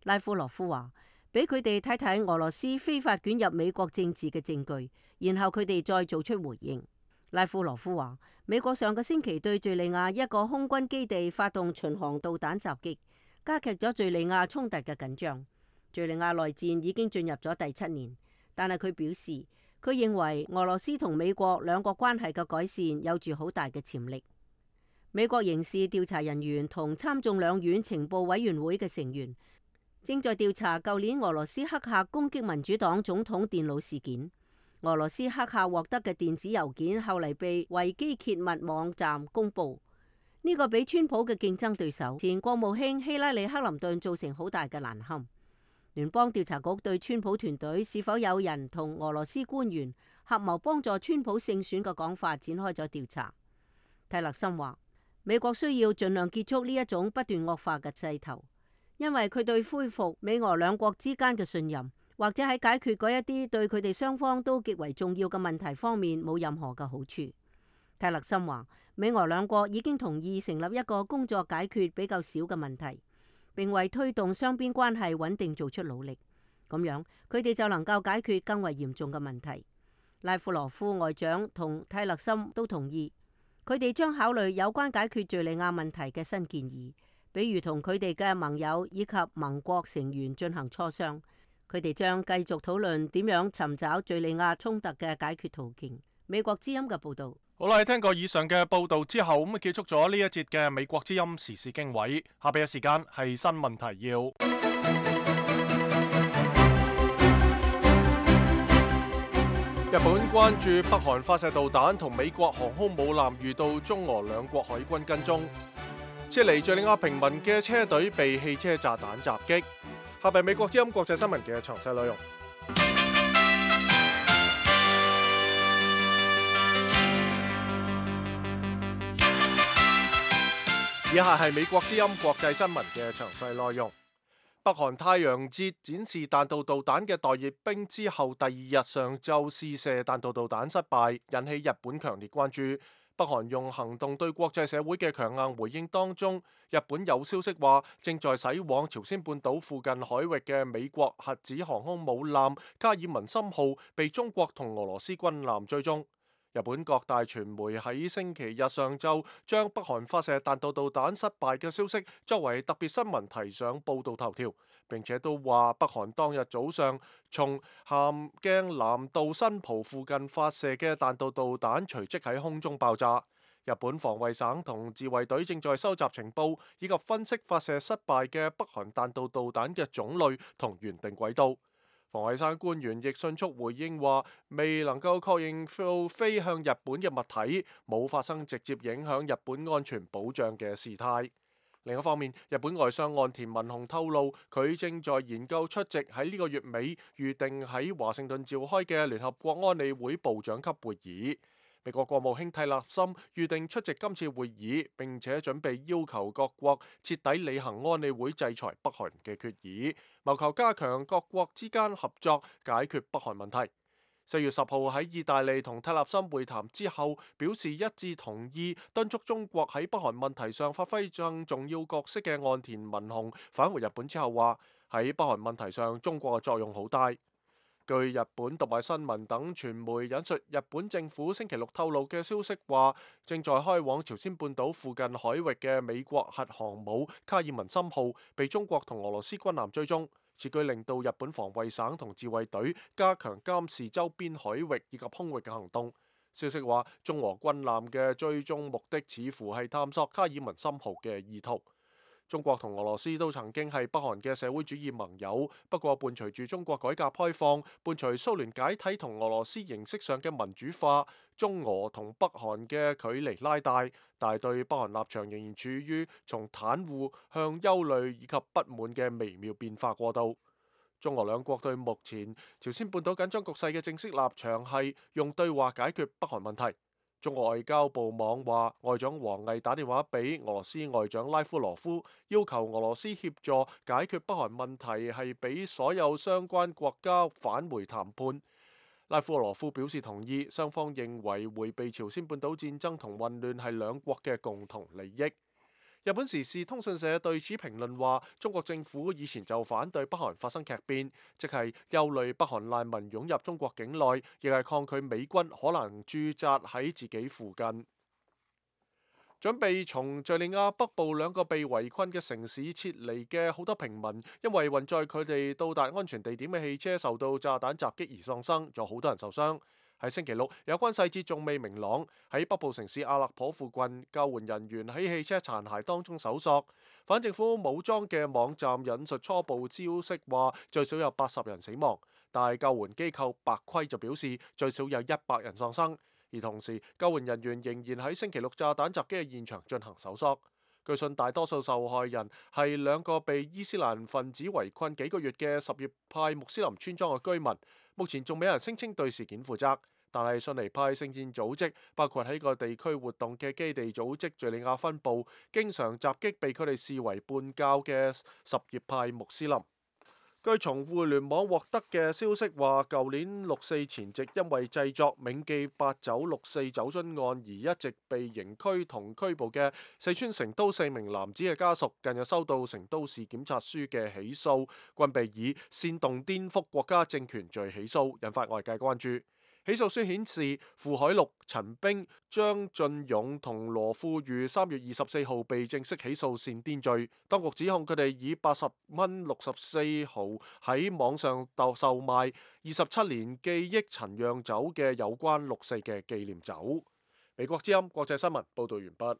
拉夫羅夫話，俾佢哋睇睇俄羅斯非法捲入美國政治嘅證據，然後佢哋再做出回應。拉夫羅夫話，美國上個星期對敘利亞一個空軍基地發動巡航導彈襲擊，加劇咗敘利亞衝突嘅緊張。敘利亞內戰已經進入咗第七年，但係佢表示，佢認為俄羅斯同美國兩國關係嘅改善有住好大嘅潛力。美國刑事調查人員同參眾兩院情報委員會嘅成員正在調查舊年俄羅斯黑客攻擊民主黨總統電腦事件。俄羅斯黑客獲得嘅電子郵件後嚟被維基揭密網站公佈，呢、這個俾川普嘅競爭對手前國務卿希拉里克林頓造成好大嘅難堪。聯邦調查局對川普團隊是否有人同俄羅斯官員合謀幫助川普勝選嘅講法展開咗調查。泰勒森話，美國需要盡量結束呢一種不斷惡化嘅勢頭，因為佢對恢復美俄兩國之間嘅信任，或者喺解決嗰一啲對佢哋雙方都極為重要嘅問題方面冇任何嘅好處。泰勒森話，美俄兩國已經同意成立一個工作解決比較少嘅問題，並為推動雙邊關係穩定做出努力，咁樣佢哋就能夠解決更為嚴重嘅問題。拉夫羅夫外長同泰勒森都同意，佢哋將考慮有關解決敘利亞問題嘅新建議，比如同佢哋嘅盟友以及盟國成員進行磋商。佢哋將繼續討論點樣尋找敘利亞衝突嘅解決途徑。美國之音嘅報導。好啦，聽過以上嘅報導之後，咁啊結束咗呢一節嘅美國之音時事經緯。下邊嘅時間係新聞提要。日本關注北韓發射導彈同美國航空母艦遇到中俄兩國海軍跟蹤，撤離敘利亞平民嘅車隊被汽車炸彈襲擊。下邊美國之音國際新聞嘅詳細內容。以下係美國之音國際新聞嘅詳細內容。北韓太陽節展示彈道導彈嘅待閱兵之後，第二日上晝試射彈道導彈失敗，引起日本強烈關注。北韓用行動對國際社會嘅強硬回應當中，日本有消息話正在駛往朝鮮半島附近海域嘅美國核子航空母艦卡爾文森號被中國同俄羅斯軍艦追蹤。日本各大傳媒喺星期日上晝將北韓發射彈道導彈失敗嘅消息作為特別新聞提上報導頭條，並且都話北韓當日早上從咸鏡南道新浦附近發射嘅彈道導彈隨即喺空中爆炸。日本防衛省同自衛隊正在收集情報，以及分析發射失敗嘅北韓彈道導彈嘅種類同原定軌道。防衛省官員亦迅速回應話，未能夠確認到飛向日本嘅物體冇發生直接影響日本安全保障嘅事態。另一方面，日本外相岸田文雄透露，佢正在研究出席喺呢個月尾預定喺華盛頓召開嘅聯合國安理會部長級會議。美國國務卿蒂勒森預定出席今次會議，並且準備要求各國徹底履行安理會制裁北韓嘅決議，謀求加強各國之間合作，解決北韓問題。四月十號喺意大利同蒂勒森會談之後，表示一致同意敦促中國喺北韓問題上發揮更重要角色嘅岸田文雄返回日本之後話，喺北韓問題上中國嘅作用好大。據日本讀賣新聞等傳媒引述日本政府星期六透露嘅消息話，正在開往朝鮮半島附近海域嘅美國核航母卡爾文森號被中國同俄羅斯軍艦追蹤，此舉令到日本防衛省同自衛隊加強監視周邊海域以及空域嘅行動。消息話，中俄軍艦嘅追蹤目的似乎係探索卡爾文森號嘅意圖。中國同俄羅斯都曾經係北韓嘅社會主義盟友，不過伴隨住中國改革開放，伴隨蘇聯解體同俄羅斯形式上嘅民主化，中俄同北韓嘅距離拉大，但係對北韓立場仍然處於從袒護向憂慮以及不滿嘅微妙變化過渡。中俄兩國對目前朝鮮半島緊張局勢嘅正式立場係用對話解決北韓問題。中國外交部網話，外長王毅打電話俾俄羅斯外長拉夫羅夫，要求俄羅斯協助解決北韓問題，係俾所有相關國家返回談判。拉夫羅夫表示同意，雙方認為迴避朝鮮半島戰爭同混亂係兩國嘅共同利益。日本時事通訊社對此評論話，中國政府以前就反對北韓發生劇變，即係憂慮北韓難民湧入中國境內，亦係抗拒美軍可能駐紮喺自己附近。準備從敘利亞北部兩個被圍困嘅城市撤離嘅好多平民，因為運載佢哋到達安全地點嘅汽車受到炸彈襲擊而喪生，仲有好多人受傷。喺星期六，有關細節仲未明朗。喺北部城市阿勒頗附近，救援人員喺汽車殘骸當中搜索。反政府武裝嘅網站引述初步消息話，最少有八十人死亡，但係救援機構白盔就表示最少有一百人喪生。而同時，救援人員仍然喺星期六炸彈襲擊嘅現場進行搜索。據信大多數受害人係兩個被伊斯蘭分子圍困幾個月嘅什葉派穆斯林村莊嘅居民。目前仲未有人聲稱對事件負責，但係遜尼派聖戰組織，包括喺個地區活動嘅基地組織敘利亞分部，經常襲擊被佢哋視為叛教嘅什葉派穆斯林。據從互聯網獲得嘅消息話，舊年六四前夕因為製作銘記八九六四酒樽案而一直被刑拘同拘捕嘅四川成都四名男子嘅家屬，近日收到成都市檢察書嘅起訴，均被以煽動顛覆國家政權罪起訴，引發外界關注。起訴書顯示，傅海陸、陳冰、張俊勇同羅富裕三月二十四號被正式起訴煽顛罪。當局指控佢哋以八十蚊六十四毫喺網上售售賣二十七年記憶陳釀酒嘅有關六四嘅紀念酒。美國之音國際新聞報導完畢。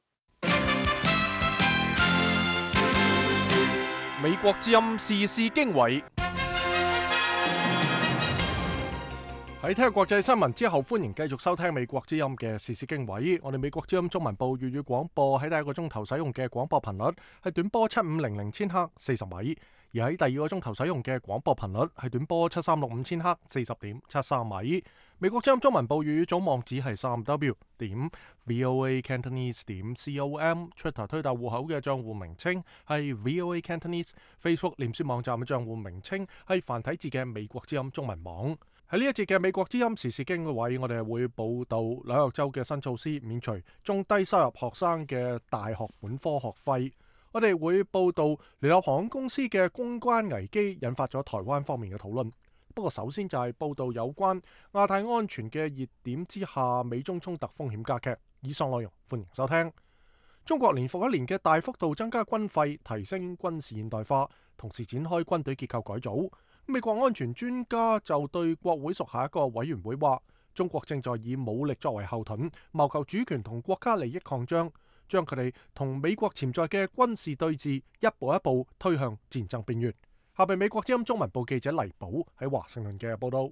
美國之音時事經緯。喺聽國際新聞之後，歡迎繼續收聽美國之音嘅時事經緯。我哋美國之音中文部粵語廣播喺第一個鐘頭使用嘅廣播頻率係短波七五零零千赫四十米，而喺第二個鐘頭使用嘅廣播頻率係短波七三六五千赫四十點七三米。美國之音中文部粵語總網址係三 w 點 voa cantonese 點 com，Twitter 推特戶口嘅賬戶名稱係 voa cantonese，Facebook 臉書網站嘅賬戶名稱係繁體字嘅美國之音中文網。喺呢一節嘅美國之音時事經緯，我哋會報道紐約州嘅新措施免除中低收入學生嘅大學本科學費。我哋會報道聯合航空公司嘅公關危機引發咗台灣方面嘅討論。不過首先就係報道有關亞太安全嘅熱點之下，美中衝突風險加劇。以上內容歡迎收聽。中國年復一年嘅大幅度增加軍費，提升軍事現代化，同時展開軍隊結構改組。美國安全專家就對國會屬下一個委員會話，中國正在以武力作為後盾，謀求主權同國家利益擴張，將佢哋同美國潛在嘅軍事對峙一步一步推向戰爭邊緣。下邊美國之音中文部記者黎寶喺華盛頓嘅報道。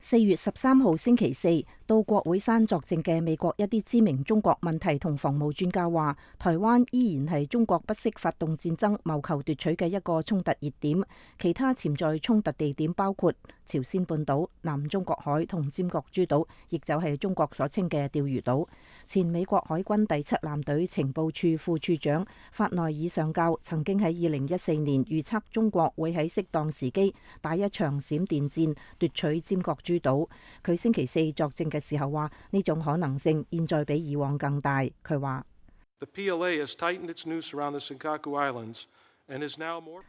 四月十三號星期四到國會山作證嘅美國一啲知名中國問題同防務專家話，台灣依然係中國不惜發動戰爭謀求奪取嘅一個衝突熱點，其他潛在衝突地點包括朝鮮半島、南中國海同尖閣諸島，亦就係中國所稱嘅釣魚島。前美國海軍第七艦隊情報處副處長法內爾上校曾經喺二零一四年預測中國會喺適當時機打一場閃電戰奪取尖閣諸島。佢星期四作證嘅時候話，呢種可能性現在比以往更大。佢話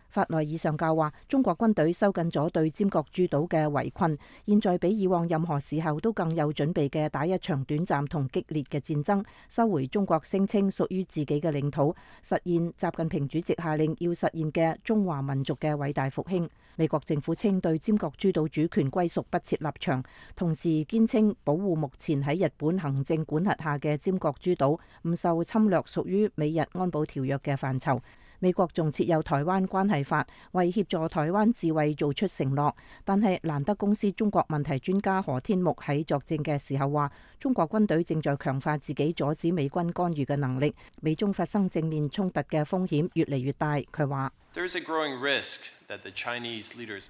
法內爾上校話，中國軍隊收緊咗對尖閣諸島嘅圍困，現在比以往任何時候都更有準備嘅打一場短暫同激烈嘅戰爭，收回中國聲稱屬於自己嘅領土，實現習近平主席下令要實現嘅中華民族嘅偉大復興。美國政府稱對尖閣諸島主權歸屬不設立場，同時堅稱保護目前喺日本行政管轄下嘅尖閣諸島唔受侵略，屬於美日安保條約嘅範疇。美國仲設有台灣關係法，為協助台灣自衛做出承諾。但係蘭德公司中國問題專家何天木喺作證嘅時候話，中國軍隊正在強化自己阻止美軍干預嘅能力，美中發生正面衝突嘅風險越嚟越大。佢話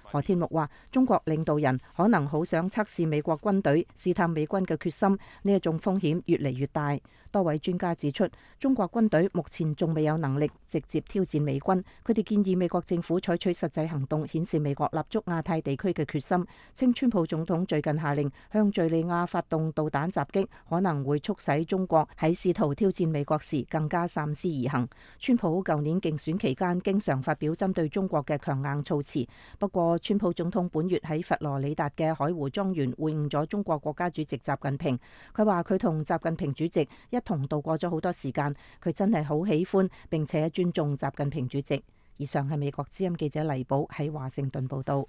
何天木話，中國領導人可能好想測試美國軍隊，試探美軍嘅決心，呢一種風險越嚟越大。多位專家指出，中國軍隊目前仲未有能力直接挑戰美軍，佢哋建議美國政府採取實際行動，顯示美國立足亞太地區嘅決心。稱川普總統最近下令向敘利亞發動導彈襲擊，可能會促使中國喺試圖挑戰美國時更加三思而行。川普舊年競選期間經常發表針對中國嘅強硬措辭，不過川普總統本月喺佛羅里達嘅海湖莊園會晤咗中國國家主席習近平，佢話佢同習近平主席一同度過咗好多時間，佢真係好喜歡並且尊重習近平主席。以上係美國之音記者黎寶喺華盛頓報道。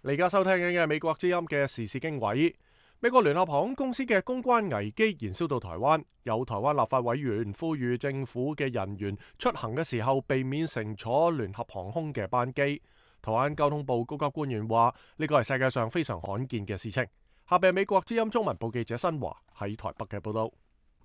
你而家收聽緊嘅美國之音嘅時事經緯。美國聯合航空公司嘅公關危機延燒到台灣，有台灣立法委員呼籲政府嘅人員出行嘅時候避免乘坐聯合航空嘅班機。台灣交通部高級官員話呢個係世界上非常罕見嘅事情。下邊美國之音中文部記者新華喺台北嘅報道。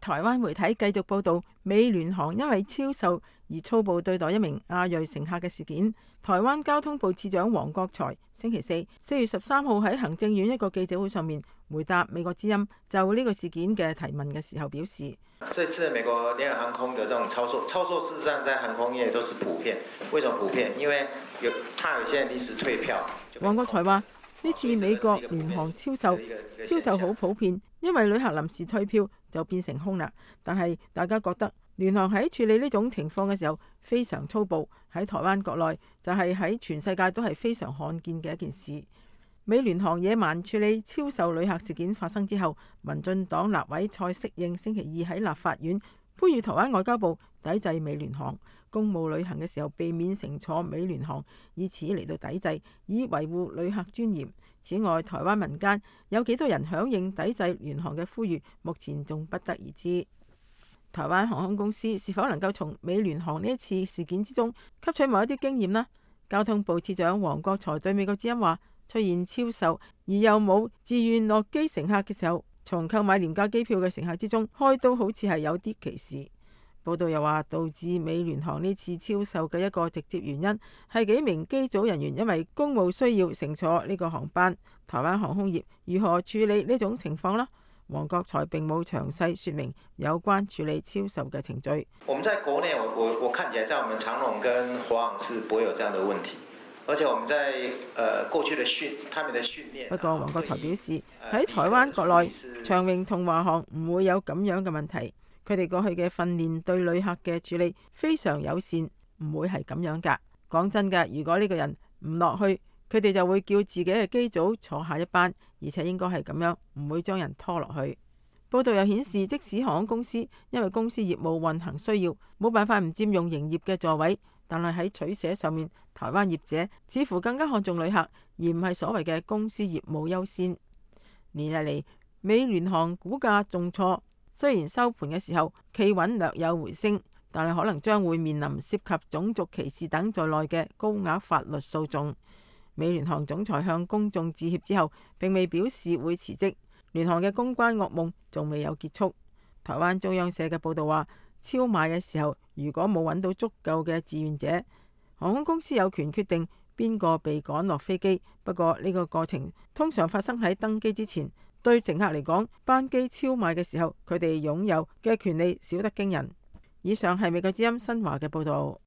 台灣媒體繼續報道美聯航因為超售而粗暴對待一名亞裔乘客嘅事件。台灣交通部次長黃國財星期四四月十三號喺行政院一個記者會上面回答美國之音就呢個事件嘅提問嘅時候表示，這次美國聯合航空的這種操作，操作事實上在航空業都是普遍。為什麼普遍？因為有怕有些人臨時退票。黃國財話呢次美國聯航超售超售好普遍，因為旅客臨時退票就變成空啦。但係大家覺得聯航喺處理呢種情況嘅時候非常粗暴，喺台灣國內就係喺全世界都係非常罕見嘅一件事。美聯航野蠻處理超售旅客事件發生之後，民進黨立委蔡適應星期二喺立法院呼籲台灣外交部抵制美聯航，公務旅行嘅時候避免乘坐美聯航，以此嚟到抵制，以維護旅客尊嚴。此外，台灣民間有幾多人響應抵制聯航嘅呼籲，目前仲不得而知。台灣航空公司是否能夠從美聯航呢一次事件之中吸取某一啲經驗呢？交通部次長黃國財對美國之音話：出現超售而又冇自願落機乘客嘅時候，從購買廉價機票嘅乘客之中開刀，好似係有啲歧視。報道又話，導致美聯航呢次超售嘅一個直接原因係幾名機組人員因為公務需要乘坐呢個航班。台灣航空業如何處理呢種情況呢？黃國財並冇詳細說明有關處理超售嘅程序。我們在國內，我我我看起來，在我們長榮跟華航是不會有這樣的問題，而且我們在呃過去的訓，他們的訓練。不過黃國財表示，喺台灣國內，長榮同華航唔會有咁樣嘅問題。佢哋過去嘅訓練對旅客嘅處理非常友善，唔會係咁樣㗎。講真㗎，如果呢個人唔落去，佢哋就會叫自己嘅機組坐下一班，而且應該係咁樣，唔會將人拖落去。報道又顯示，即使航空公司因為公司業務運行需要，冇辦法唔佔用營業嘅座位，但係喺取捨上面，台灣業者似乎更加看重旅客，而唔係所謂嘅公司業務優先。連日嚟，美聯航股價重挫。雖然收盤嘅時候企穩略有回升，但係可能將會面臨涉及種族歧視等在內嘅高額法律訴訟。美聯航總裁向公眾致歉之後，並未表示會辭職。聯航嘅公關噩夢仲未有結束。台灣中央社嘅報道話，超賣嘅時候如果冇揾到足夠嘅志願者，航空公司有權決定邊個被趕落飛機。不過呢個過程通常發生喺登機之前。對乘客嚟講，班機超賣嘅時候，佢哋擁有嘅權利少得驚人。以上係美國之音新華嘅報導。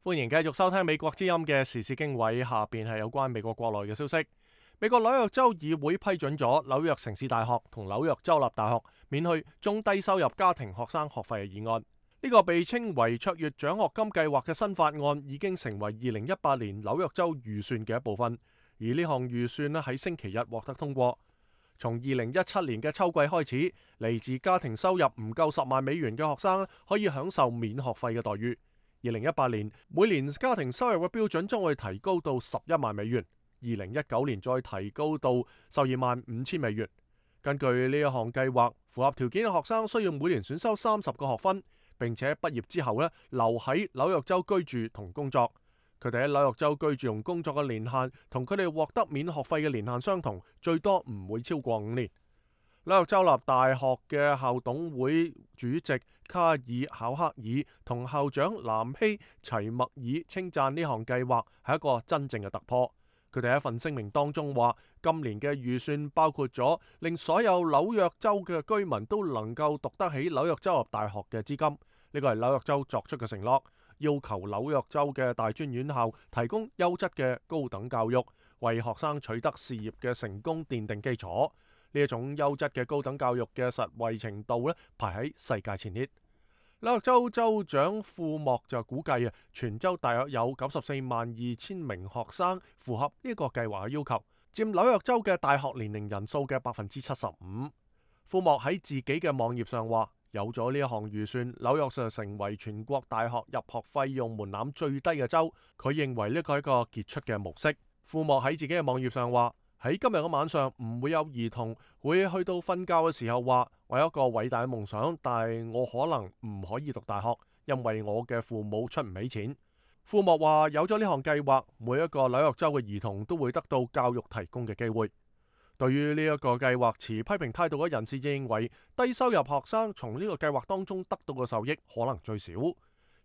歡迎繼續收聽美國之音嘅時事經緯，下邊係有關美國國內嘅消息。美國紐約州議會批准咗紐約城市大學同紐約州立大學免去中低收入家庭學生學費嘅議案。呢個被稱為卓越獎學金計劃嘅新法案已經成為二零一八年紐約州預算嘅一部分，而呢項預算咧喺星期日獲得通過。從二零一七年嘅秋季開始，嚟自家庭收入唔夠十萬美元嘅學生可以享受免學費嘅待遇。二零一八年每年家庭收入嘅標準將會提高到十一萬美元，二零一九年再提高到十二萬五千美元。根據呢一項計劃，符合條件嘅學生需要每年選修三十個學分。並且畢業之後咧，留喺紐約州居住同工作。佢哋喺紐約州居住同工作嘅年限同佢哋獲得免學費嘅年限相同，最多唔會超過五年。紐約州立大學嘅校董會主席卡爾考克爾同校長南希齊默爾稱讚呢項計劃係一個真正嘅突破。佢哋喺一份聲明當中話，今年嘅預算包括咗令所有紐約州嘅居民都能夠讀得起紐約州立大學嘅資金。呢個係紐約州作出嘅承諾，要求紐約州嘅大專院校提供優質嘅高等教育，為學生取得事業嘅成功奠定基礎。呢一種優質嘅高等教育嘅實惠程度咧，排喺世界前列。紐約州州長庫莫就估計啊，全州大約有九十四萬二千名學生符合呢個計劃嘅要求，佔紐約州嘅大學年齡人數嘅百分之七十五。庫莫喺自己嘅網頁上話，有咗呢一項預算，紐約就成為全國大學入學費用門檻最低嘅州。佢認為呢個係一個傑出嘅模式。庫莫喺自己嘅網頁上話，喺今日嘅晚上唔會有兒童會去到瞓覺嘅時候話，我有一個偉大嘅夢想，但係我可能唔可以讀大學，因為我嘅父母出唔起錢。庫莫話，有咗呢項計劃，每一個紐約州嘅兒童都會得到教育提供嘅機會。對於呢一個計劃持批評態度嘅人士認為，低收入學生從呢個計劃當中得到嘅受益可能最少。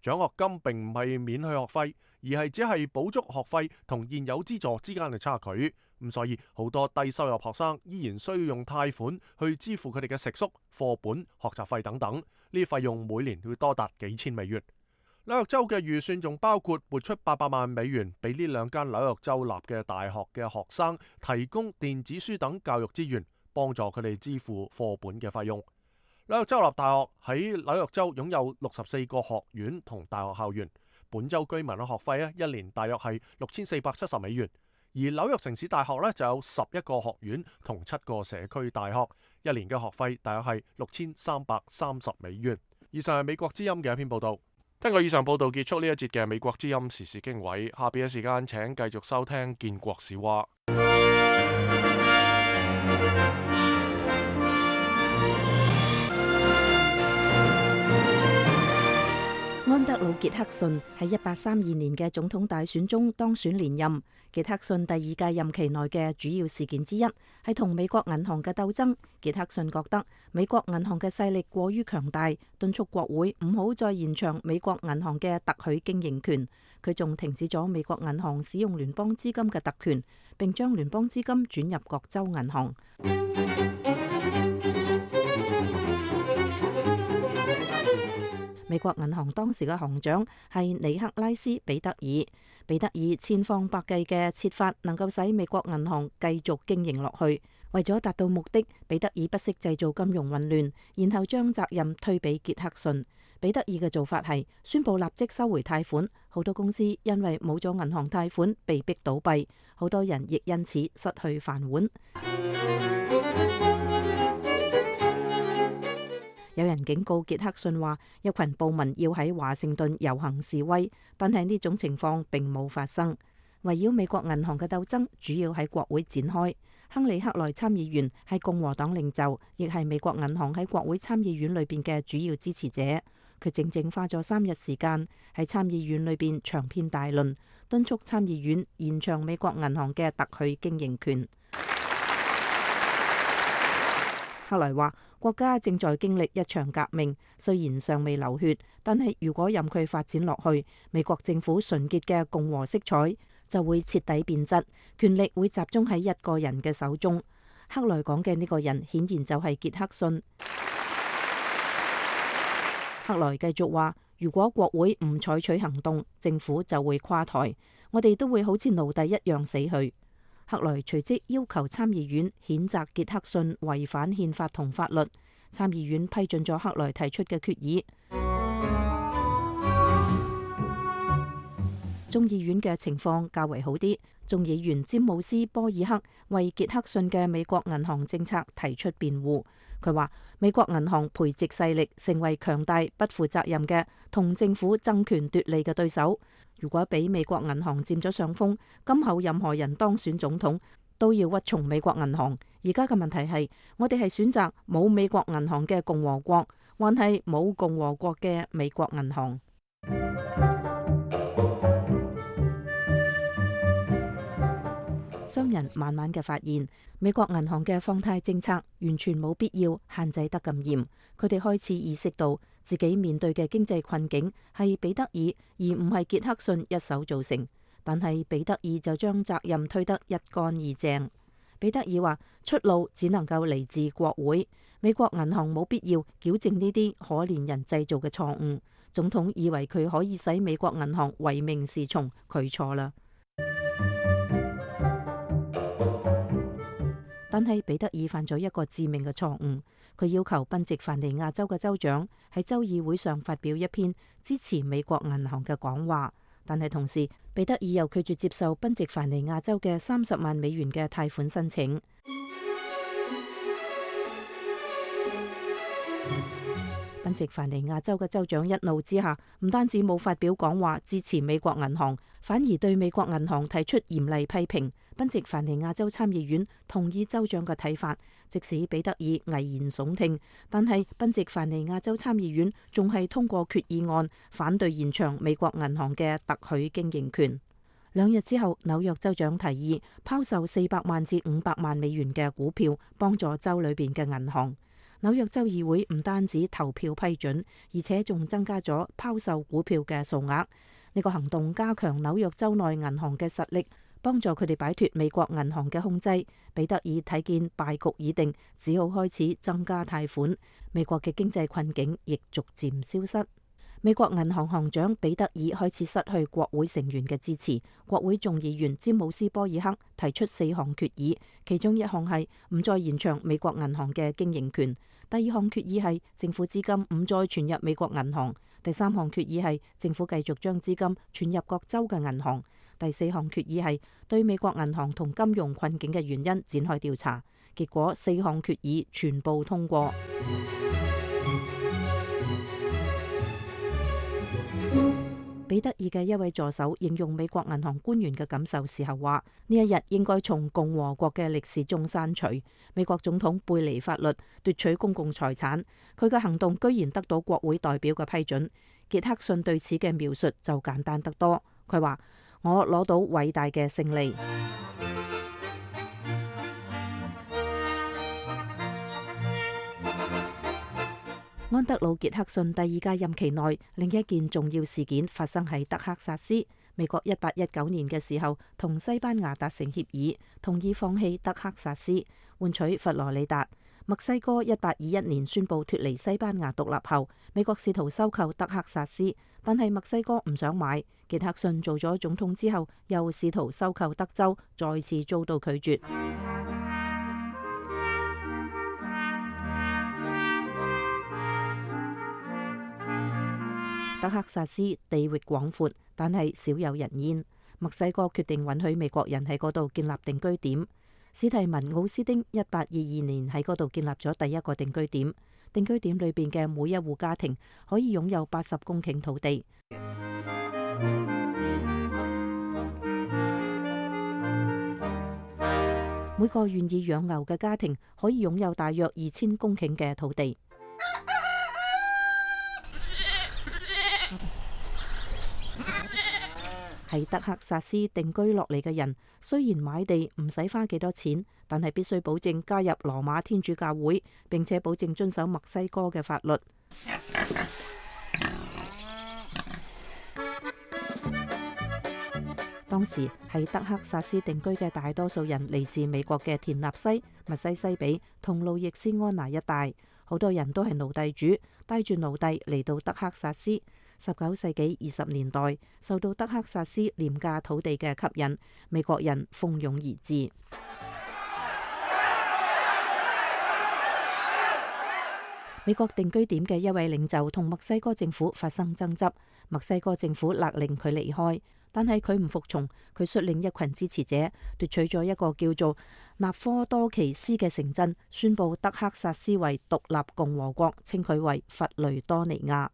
獎學金並唔係免去學費，而係只係補足學費同現有資助之間嘅差距。咁所以好多低收入學生依然需要用貸款去支付佢哋嘅食宿、課本、學習費等等，呢啲費用每年會多達幾千美元。紐約州嘅預算仲包括撥出八百萬美元俾呢兩間紐約州立嘅大學嘅學生提供電子書等教育資源，幫助佢哋支付課本嘅費用。紐約州立大學喺紐約州擁有六十四個學院同大學校園，本州居民嘅學費咧一年大約係六千四百七十美元。而紐約城市大學咧就有十一個學院同七個社區大學，一年嘅學費大約係六千三百三十美元。以上係美國之音嘅一篇報道。根據以上報道結束呢一節嘅美國之音時事經緯，下邊嘅時間請繼續收聽建國史話。安德魯·傑克遜喺一八三二年嘅總統大選中當選連任。傑克遜第二屆任期內嘅主要事件之一係同美國銀行嘅鬥爭。傑克遜覺得美國銀行嘅勢力過於強大，敦促國會唔好再延長美國銀行嘅特許經營權。佢仲停止咗美國銀行使用聯邦資金嘅特權，並將聯邦資金轉入各州銀行。美國銀行當時嘅行長係尼克拉斯·彼得爾。彼得爾千方百計嘅設法能夠使美國銀行繼續經營落去。為咗達到目的，彼得爾不惜製造金融混亂，然後將責任推俾傑克遜。彼得爾嘅做法係宣布立即收回貸款，好多公司因為冇咗銀行貸款被逼倒閉，好多人亦因此失去飯碗。有人警告傑克遜話，一群暴民要喺華盛頓遊行示威，但係呢種情況並冇發生。圍繞美國銀行嘅鬥爭主要喺國會展開。亨利克萊參議員係共和黨領袖，亦係美國銀行喺國會參議院裏邊嘅主要支持者。佢整整花咗三日時間喺參議院裏邊長篇大論，敦促參議院延長美國銀行嘅特許經營權。克萊話，國家正在經歷一場革命，雖然尚未流血，但係如果任佢發展落去，美國政府純潔嘅共和色彩就會徹底變質，權力會集中喺一個人嘅手中。克萊講嘅呢個人顯然就係傑克遜。克萊繼續話，如果國會唔採取行動，政府就會垮台，我哋都會好似奴隸一樣死去。克萊隨即要求參議院譴責傑克遜違反憲法同法律。參議院批准咗克萊提出嘅決議。眾議院嘅情況較為好啲。眾議員詹姆斯·波爾克為傑克遜嘅美國銀行政策提出辯護。佢話美國銀行培植勢力成為強大、不負責任嘅同政府爭權奪利嘅對手。如果俾美國銀行佔咗上風，今後任何人當選總統都要屈從美國銀行。而家嘅問題係，我哋係選擇冇美國銀行嘅共和國，還係冇共和國嘅美國銀行？商人慢慢嘅發現，美國銀行嘅放貸政策完全冇必要限制得咁嚴。佢哋開始意識到自己面對嘅經濟困境係彼得爾而唔係傑克遜一手造成，但係彼得爾就將責任推得一乾二淨。彼得爾話，出路只能夠嚟自國會，美國銀行冇必要矯正呢啲可憐人製造嘅錯誤。總統以為佢可以使美國銀行唯命是從，佢錯啦。但係彼得爾犯咗一個致命嘅錯誤，佢要求賓夕凡尼亞州嘅州長喺州議會上發表一篇支持美國銀行嘅講話，但係同時彼得爾又拒絕接受賓夕凡尼亞州嘅三十萬美元嘅貸款申請。賓夕凡尼亞州嘅州長一怒之下，唔單止冇發表講話支持美國銀行，反而對美國銀行提出嚴厲批評。賓夕凡尼亞州參議院同意州長嘅睇法，即使彼得爾危言聳聽，但係賓夕凡尼亞州參議院仲係通過決議案，反對延長美國銀行嘅特許經營權。兩日之後，紐約州長提議拋售四百萬至五百萬美元嘅股票，幫助州裏邊嘅銀行。紐約州議會唔單止投票批准，而且仲增加咗拋售股票嘅數額。呢個行動加強紐約州內銀行嘅實力，幫助佢哋擺脫美國銀行嘅控制。彼得爾睇見敗局已定，只好開始增加貸款。美國嘅經濟困境亦逐漸消失。美國銀行行長彼得爾開始失去國會成員嘅支持，國會眾議員詹姆斯波爾克提出四項決議，其中一項係唔再延長美國銀行嘅經營權，第二項決議係政府資金唔再存入美國銀行，第三項決議係政府繼續將資金存入各州嘅銀行，第四項決議係對美國銀行同金融困境嘅原因展開調查。結果四項決議全部通過。彼得爾嘅一位助手形容美國銀行官員嘅感受時候話：呢一日應該從共和國嘅歷史中刪除。美國總統背離法律，奪取公共財產，佢嘅行動居然得到國會代表嘅批准。傑克遜對此嘅描述就簡單得多，佢話：我攞到偉大嘅勝利。安德魯·傑克遜第二屆任期內，另一件重要事件發生喺德克薩斯。美國一八一九年嘅時候，同西班牙達成協議，同意放棄德克薩斯，換取佛羅里達。墨西哥一八二一年宣布脫離西班牙獨立後，美國試圖收購德克薩斯，但係墨西哥唔想買。傑克遜做咗總統之後，又試圖收購德州，再次遭到拒絕。德克薩斯地域廣闊，但係少有人煙。墨西哥決定允許美國人喺嗰度建立定居點。史提文奧斯丁一八二二年喺嗰度建立咗第一個定居點。定居點裏邊嘅每一戶家庭可以擁有八十公頃土地。每個願意養牛嘅家庭可以擁有大約二千公頃嘅土地。喺德克薩斯定居落嚟嘅人，雖然買地唔使花幾多錢，但係必須保證加入羅馬天主教會，並且保證遵守墨西哥嘅法律。當時喺德克薩斯定居嘅大多數人嚟自美國嘅田納西、密西西比同路易斯安那一帶，好多人都係奴隸主，帶住奴隸嚟到德克薩斯。十九世紀二十年代，受到德克薩斯廉價土地嘅吸引，美國人蜂擁而至。美國定居點嘅一位領袖同墨西哥政府發生爭執，墨西哥政府勒令佢離開，但係佢唔服從，佢率領一群支持者奪取咗一個叫做納科多奇斯嘅城鎮，宣布德克薩斯為獨立共和國，稱佢為佛雷多尼亞。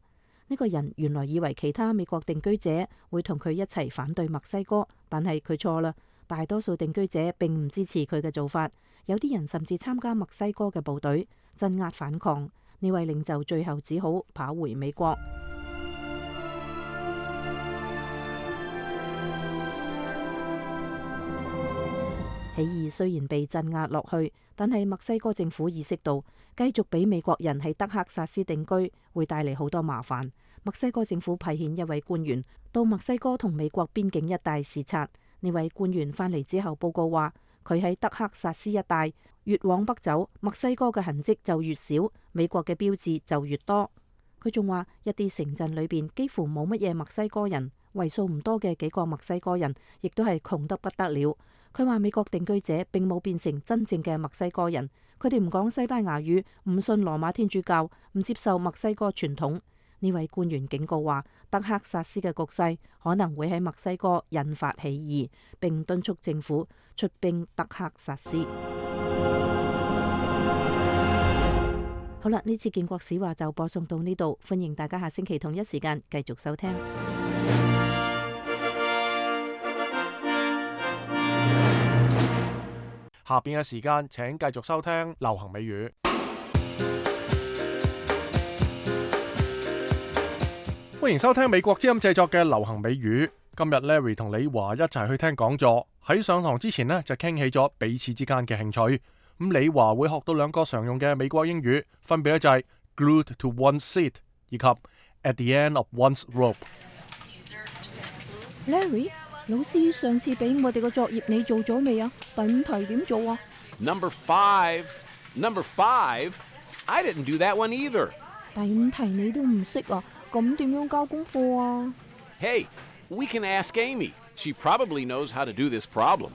呢個人原來以為其他美國定居者會同佢一齊反對墨西哥，但係佢錯啦。大多數定居者並唔支持佢嘅做法，有啲人甚至參加墨西哥嘅部隊鎮壓反抗。呢位領袖最後只好跑回美國。起義雖然被鎮壓落去，但係墨西哥政府意識到繼續俾美國人喺德克薩斯定居會帶嚟好多麻煩。墨西哥政府派遣一位官員到墨西哥同美國邊境一帶視察。呢位官員返嚟之後報告話，佢喺德克薩斯一帶越往北走，墨西哥嘅痕跡就越少，美國嘅標誌就越多。佢仲話一啲城鎮裏邊幾乎冇乜嘢墨西哥人，為數唔多嘅幾個墨西哥人亦都係窮得不得了。佢話美國定居者並冇變成真正嘅墨西哥人，佢哋唔講西班牙語，唔信羅馬天主教，唔接受墨西哥傳統。呢位官員警告話，德克薩斯嘅局勢可能會喺墨西哥引發起義，並敦促政府出兵德克薩斯。好啦，呢次建國史話就播送到呢度，歡迎大家下星期同一時間繼續收聽。下邊嘅時間請繼續收聽流行美語。歡迎收聽美國之音製作嘅流行美語。今日 Larry 同李華一齊去聽講座。喺上堂之前呢，就傾起咗彼此之間嘅興趣。咁李華會學到兩個常用嘅美國英語，分別咧就係 glued to one's seat 以及 at the end of one's rope。 Larry， 老師上次俾我哋個作業你做咗未啊？第五題點做啊？ Number five. Number five. I didn't do that one either. 第五題你都唔識啊？咁點樣交功課啊？ Hey, we can ask Amy. She probably knows how to do this problem.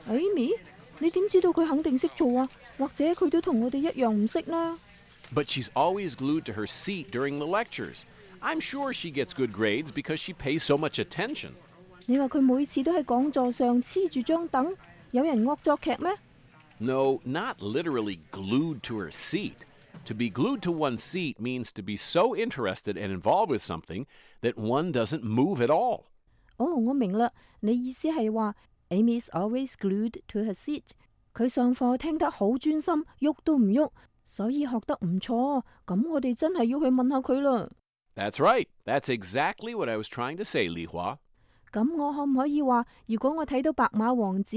Amy， 你點知道佢肯定識做啊？或者佢都同我哋一樣唔識呢？ But she's always glued to her seat during the lectures. I'm sure she gets good grades because she pays so much attention. 你話佢每次都喺講座上黐住張凳，有人惡作劇咩？ No, not literally glued to her seat. To be glued to one's seat means to be so interested and involved with something that one doesn't move at all. 哦，我明啦，你意思係話 Amy's always glued to her seat。佢上課聽得好專心，喐都唔喐，所以學得唔錯。咁我哋真係要去問下佢啦。 That's right. That's exactly what I was trying to say, Li Hua. 咁我可唔可以話，如果我睇到白馬王子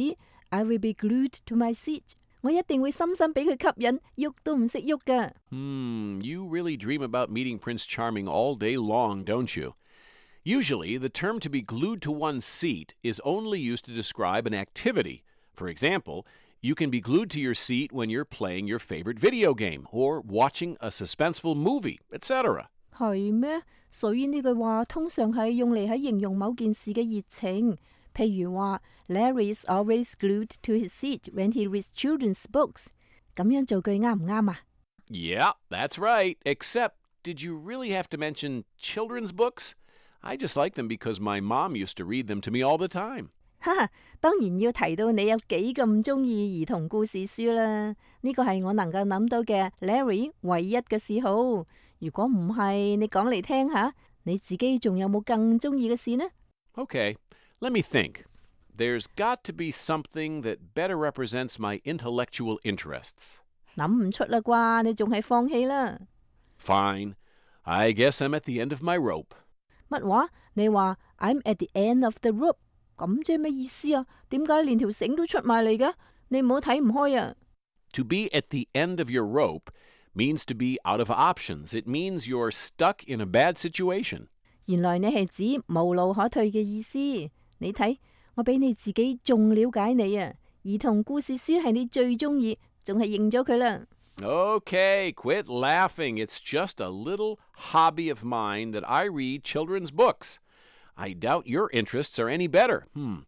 ，I will be glued to my seat。我一定會深深俾佢吸引，喐都唔識喐㗎。 Hmm, you really dream about meeting Prince Charming all day long, don't you? Usually, the term to be glued to one's seat is only used to describe an activity. For example, you can be glued to your seat when you're playing your favorite video game or watching a suspenseful movie, et cetera. 係咩？所以呢句話通常係用嚟喺形容某件事嘅熱情。譬如話 Larry is always glued to his seat when he reads children's books。咁樣造句啱唔啱啊？ Yeah, that's right. Except, did you really have to mention children's books? I just like them because my mom used to read them to me all the time. 哈哈，當然要提到你有幾咁中意兒童故事書啦。呢個係我能夠諗到嘅 Larry 唯一嘅嗜好。如果唔係，你講嚟聽下，你自己仲有冇更中意嘅事呢？ Okay, let me think. There's got to be something that better represents my intellectual interests. 諗唔出啦啩，你仲係放棄啦。 Fine. I guess I'm at the end of my rope. 乜話？你話 I'm at the end of the rope， 咁即係咩意思啊？點解連條繩都出埋嚟嘅？你唔好睇唔開啊！ To be at the end of your rope means to be out of options. It means you're stuck in a bad situation. 原來你係指無路可退嘅意思。你睇，我比你自己仲了解你啊！兒童故事書係你最中意，仲係認咗佢啦。 Okay, quit laughing. It's just a little hobby of mine that I read children's books. I doubt your interests are any better. Hmm.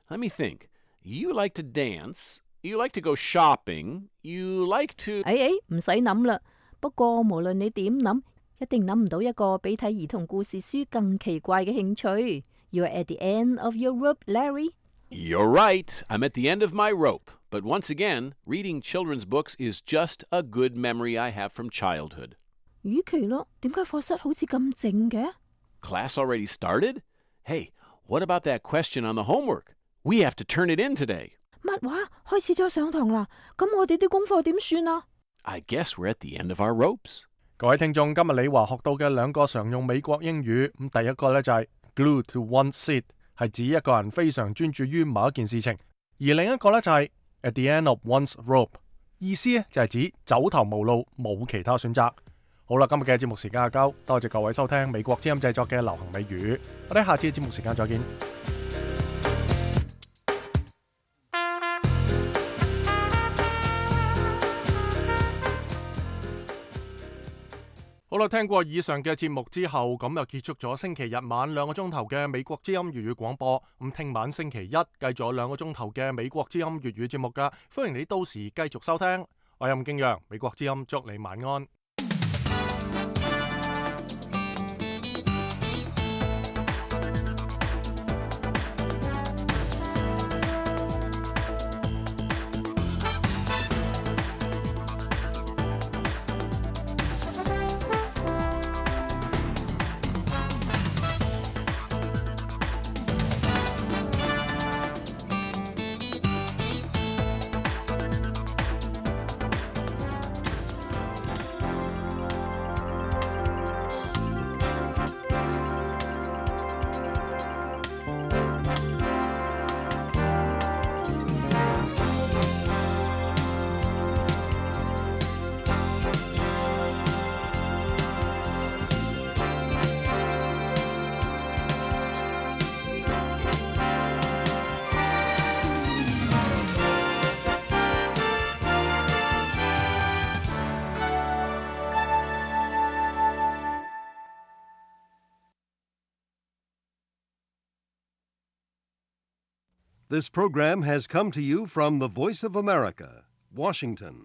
Let me think. You like to dance. You like to go shopping. You like to... 哎哎，唔使諗啦。不過無論你點諗，一定諗唔到一個比睇兒童故事書更奇怪嘅興趣。You're at the end of your rope, Larry. You're right. I'm at the end of my rope. But once again, reading children's books is just a good memory I have from childhood. 與其咯，點解課室好似咁靜嘅？ Class already started? Hey, what about that question on the homework? We have to turn it in today. 乜話？開始咗上堂啦？咁我哋啲功課點算啊？ I guess we're at the end of our ropes. 各位聽眾，今日李華學到嘅兩個常用美國英語，咁第一個呢就係 glued to one's seat，係指一個人非常專注於某一件事情，而另一個呢就係At the end of one's rope， 意思咧就係指走投無路，冇其他選擇。好啦，今日嘅節目時間就夠，多謝各位收聽美國之音製作嘅流行美語，我哋下次嘅節目時間再見。好啦，聽過以上嘅節目之後，咁就結束咗星期日晚兩個鐘頭嘅美國之音粵語廣播。咁聽晚星期一繼續有兩個鐘頭嘅美國之音粵語節目㗎，歡迎你到時繼續收聽。我係吳敬陽，美國之音祝你晚安。This program has come to you from the Voice of America, Washington.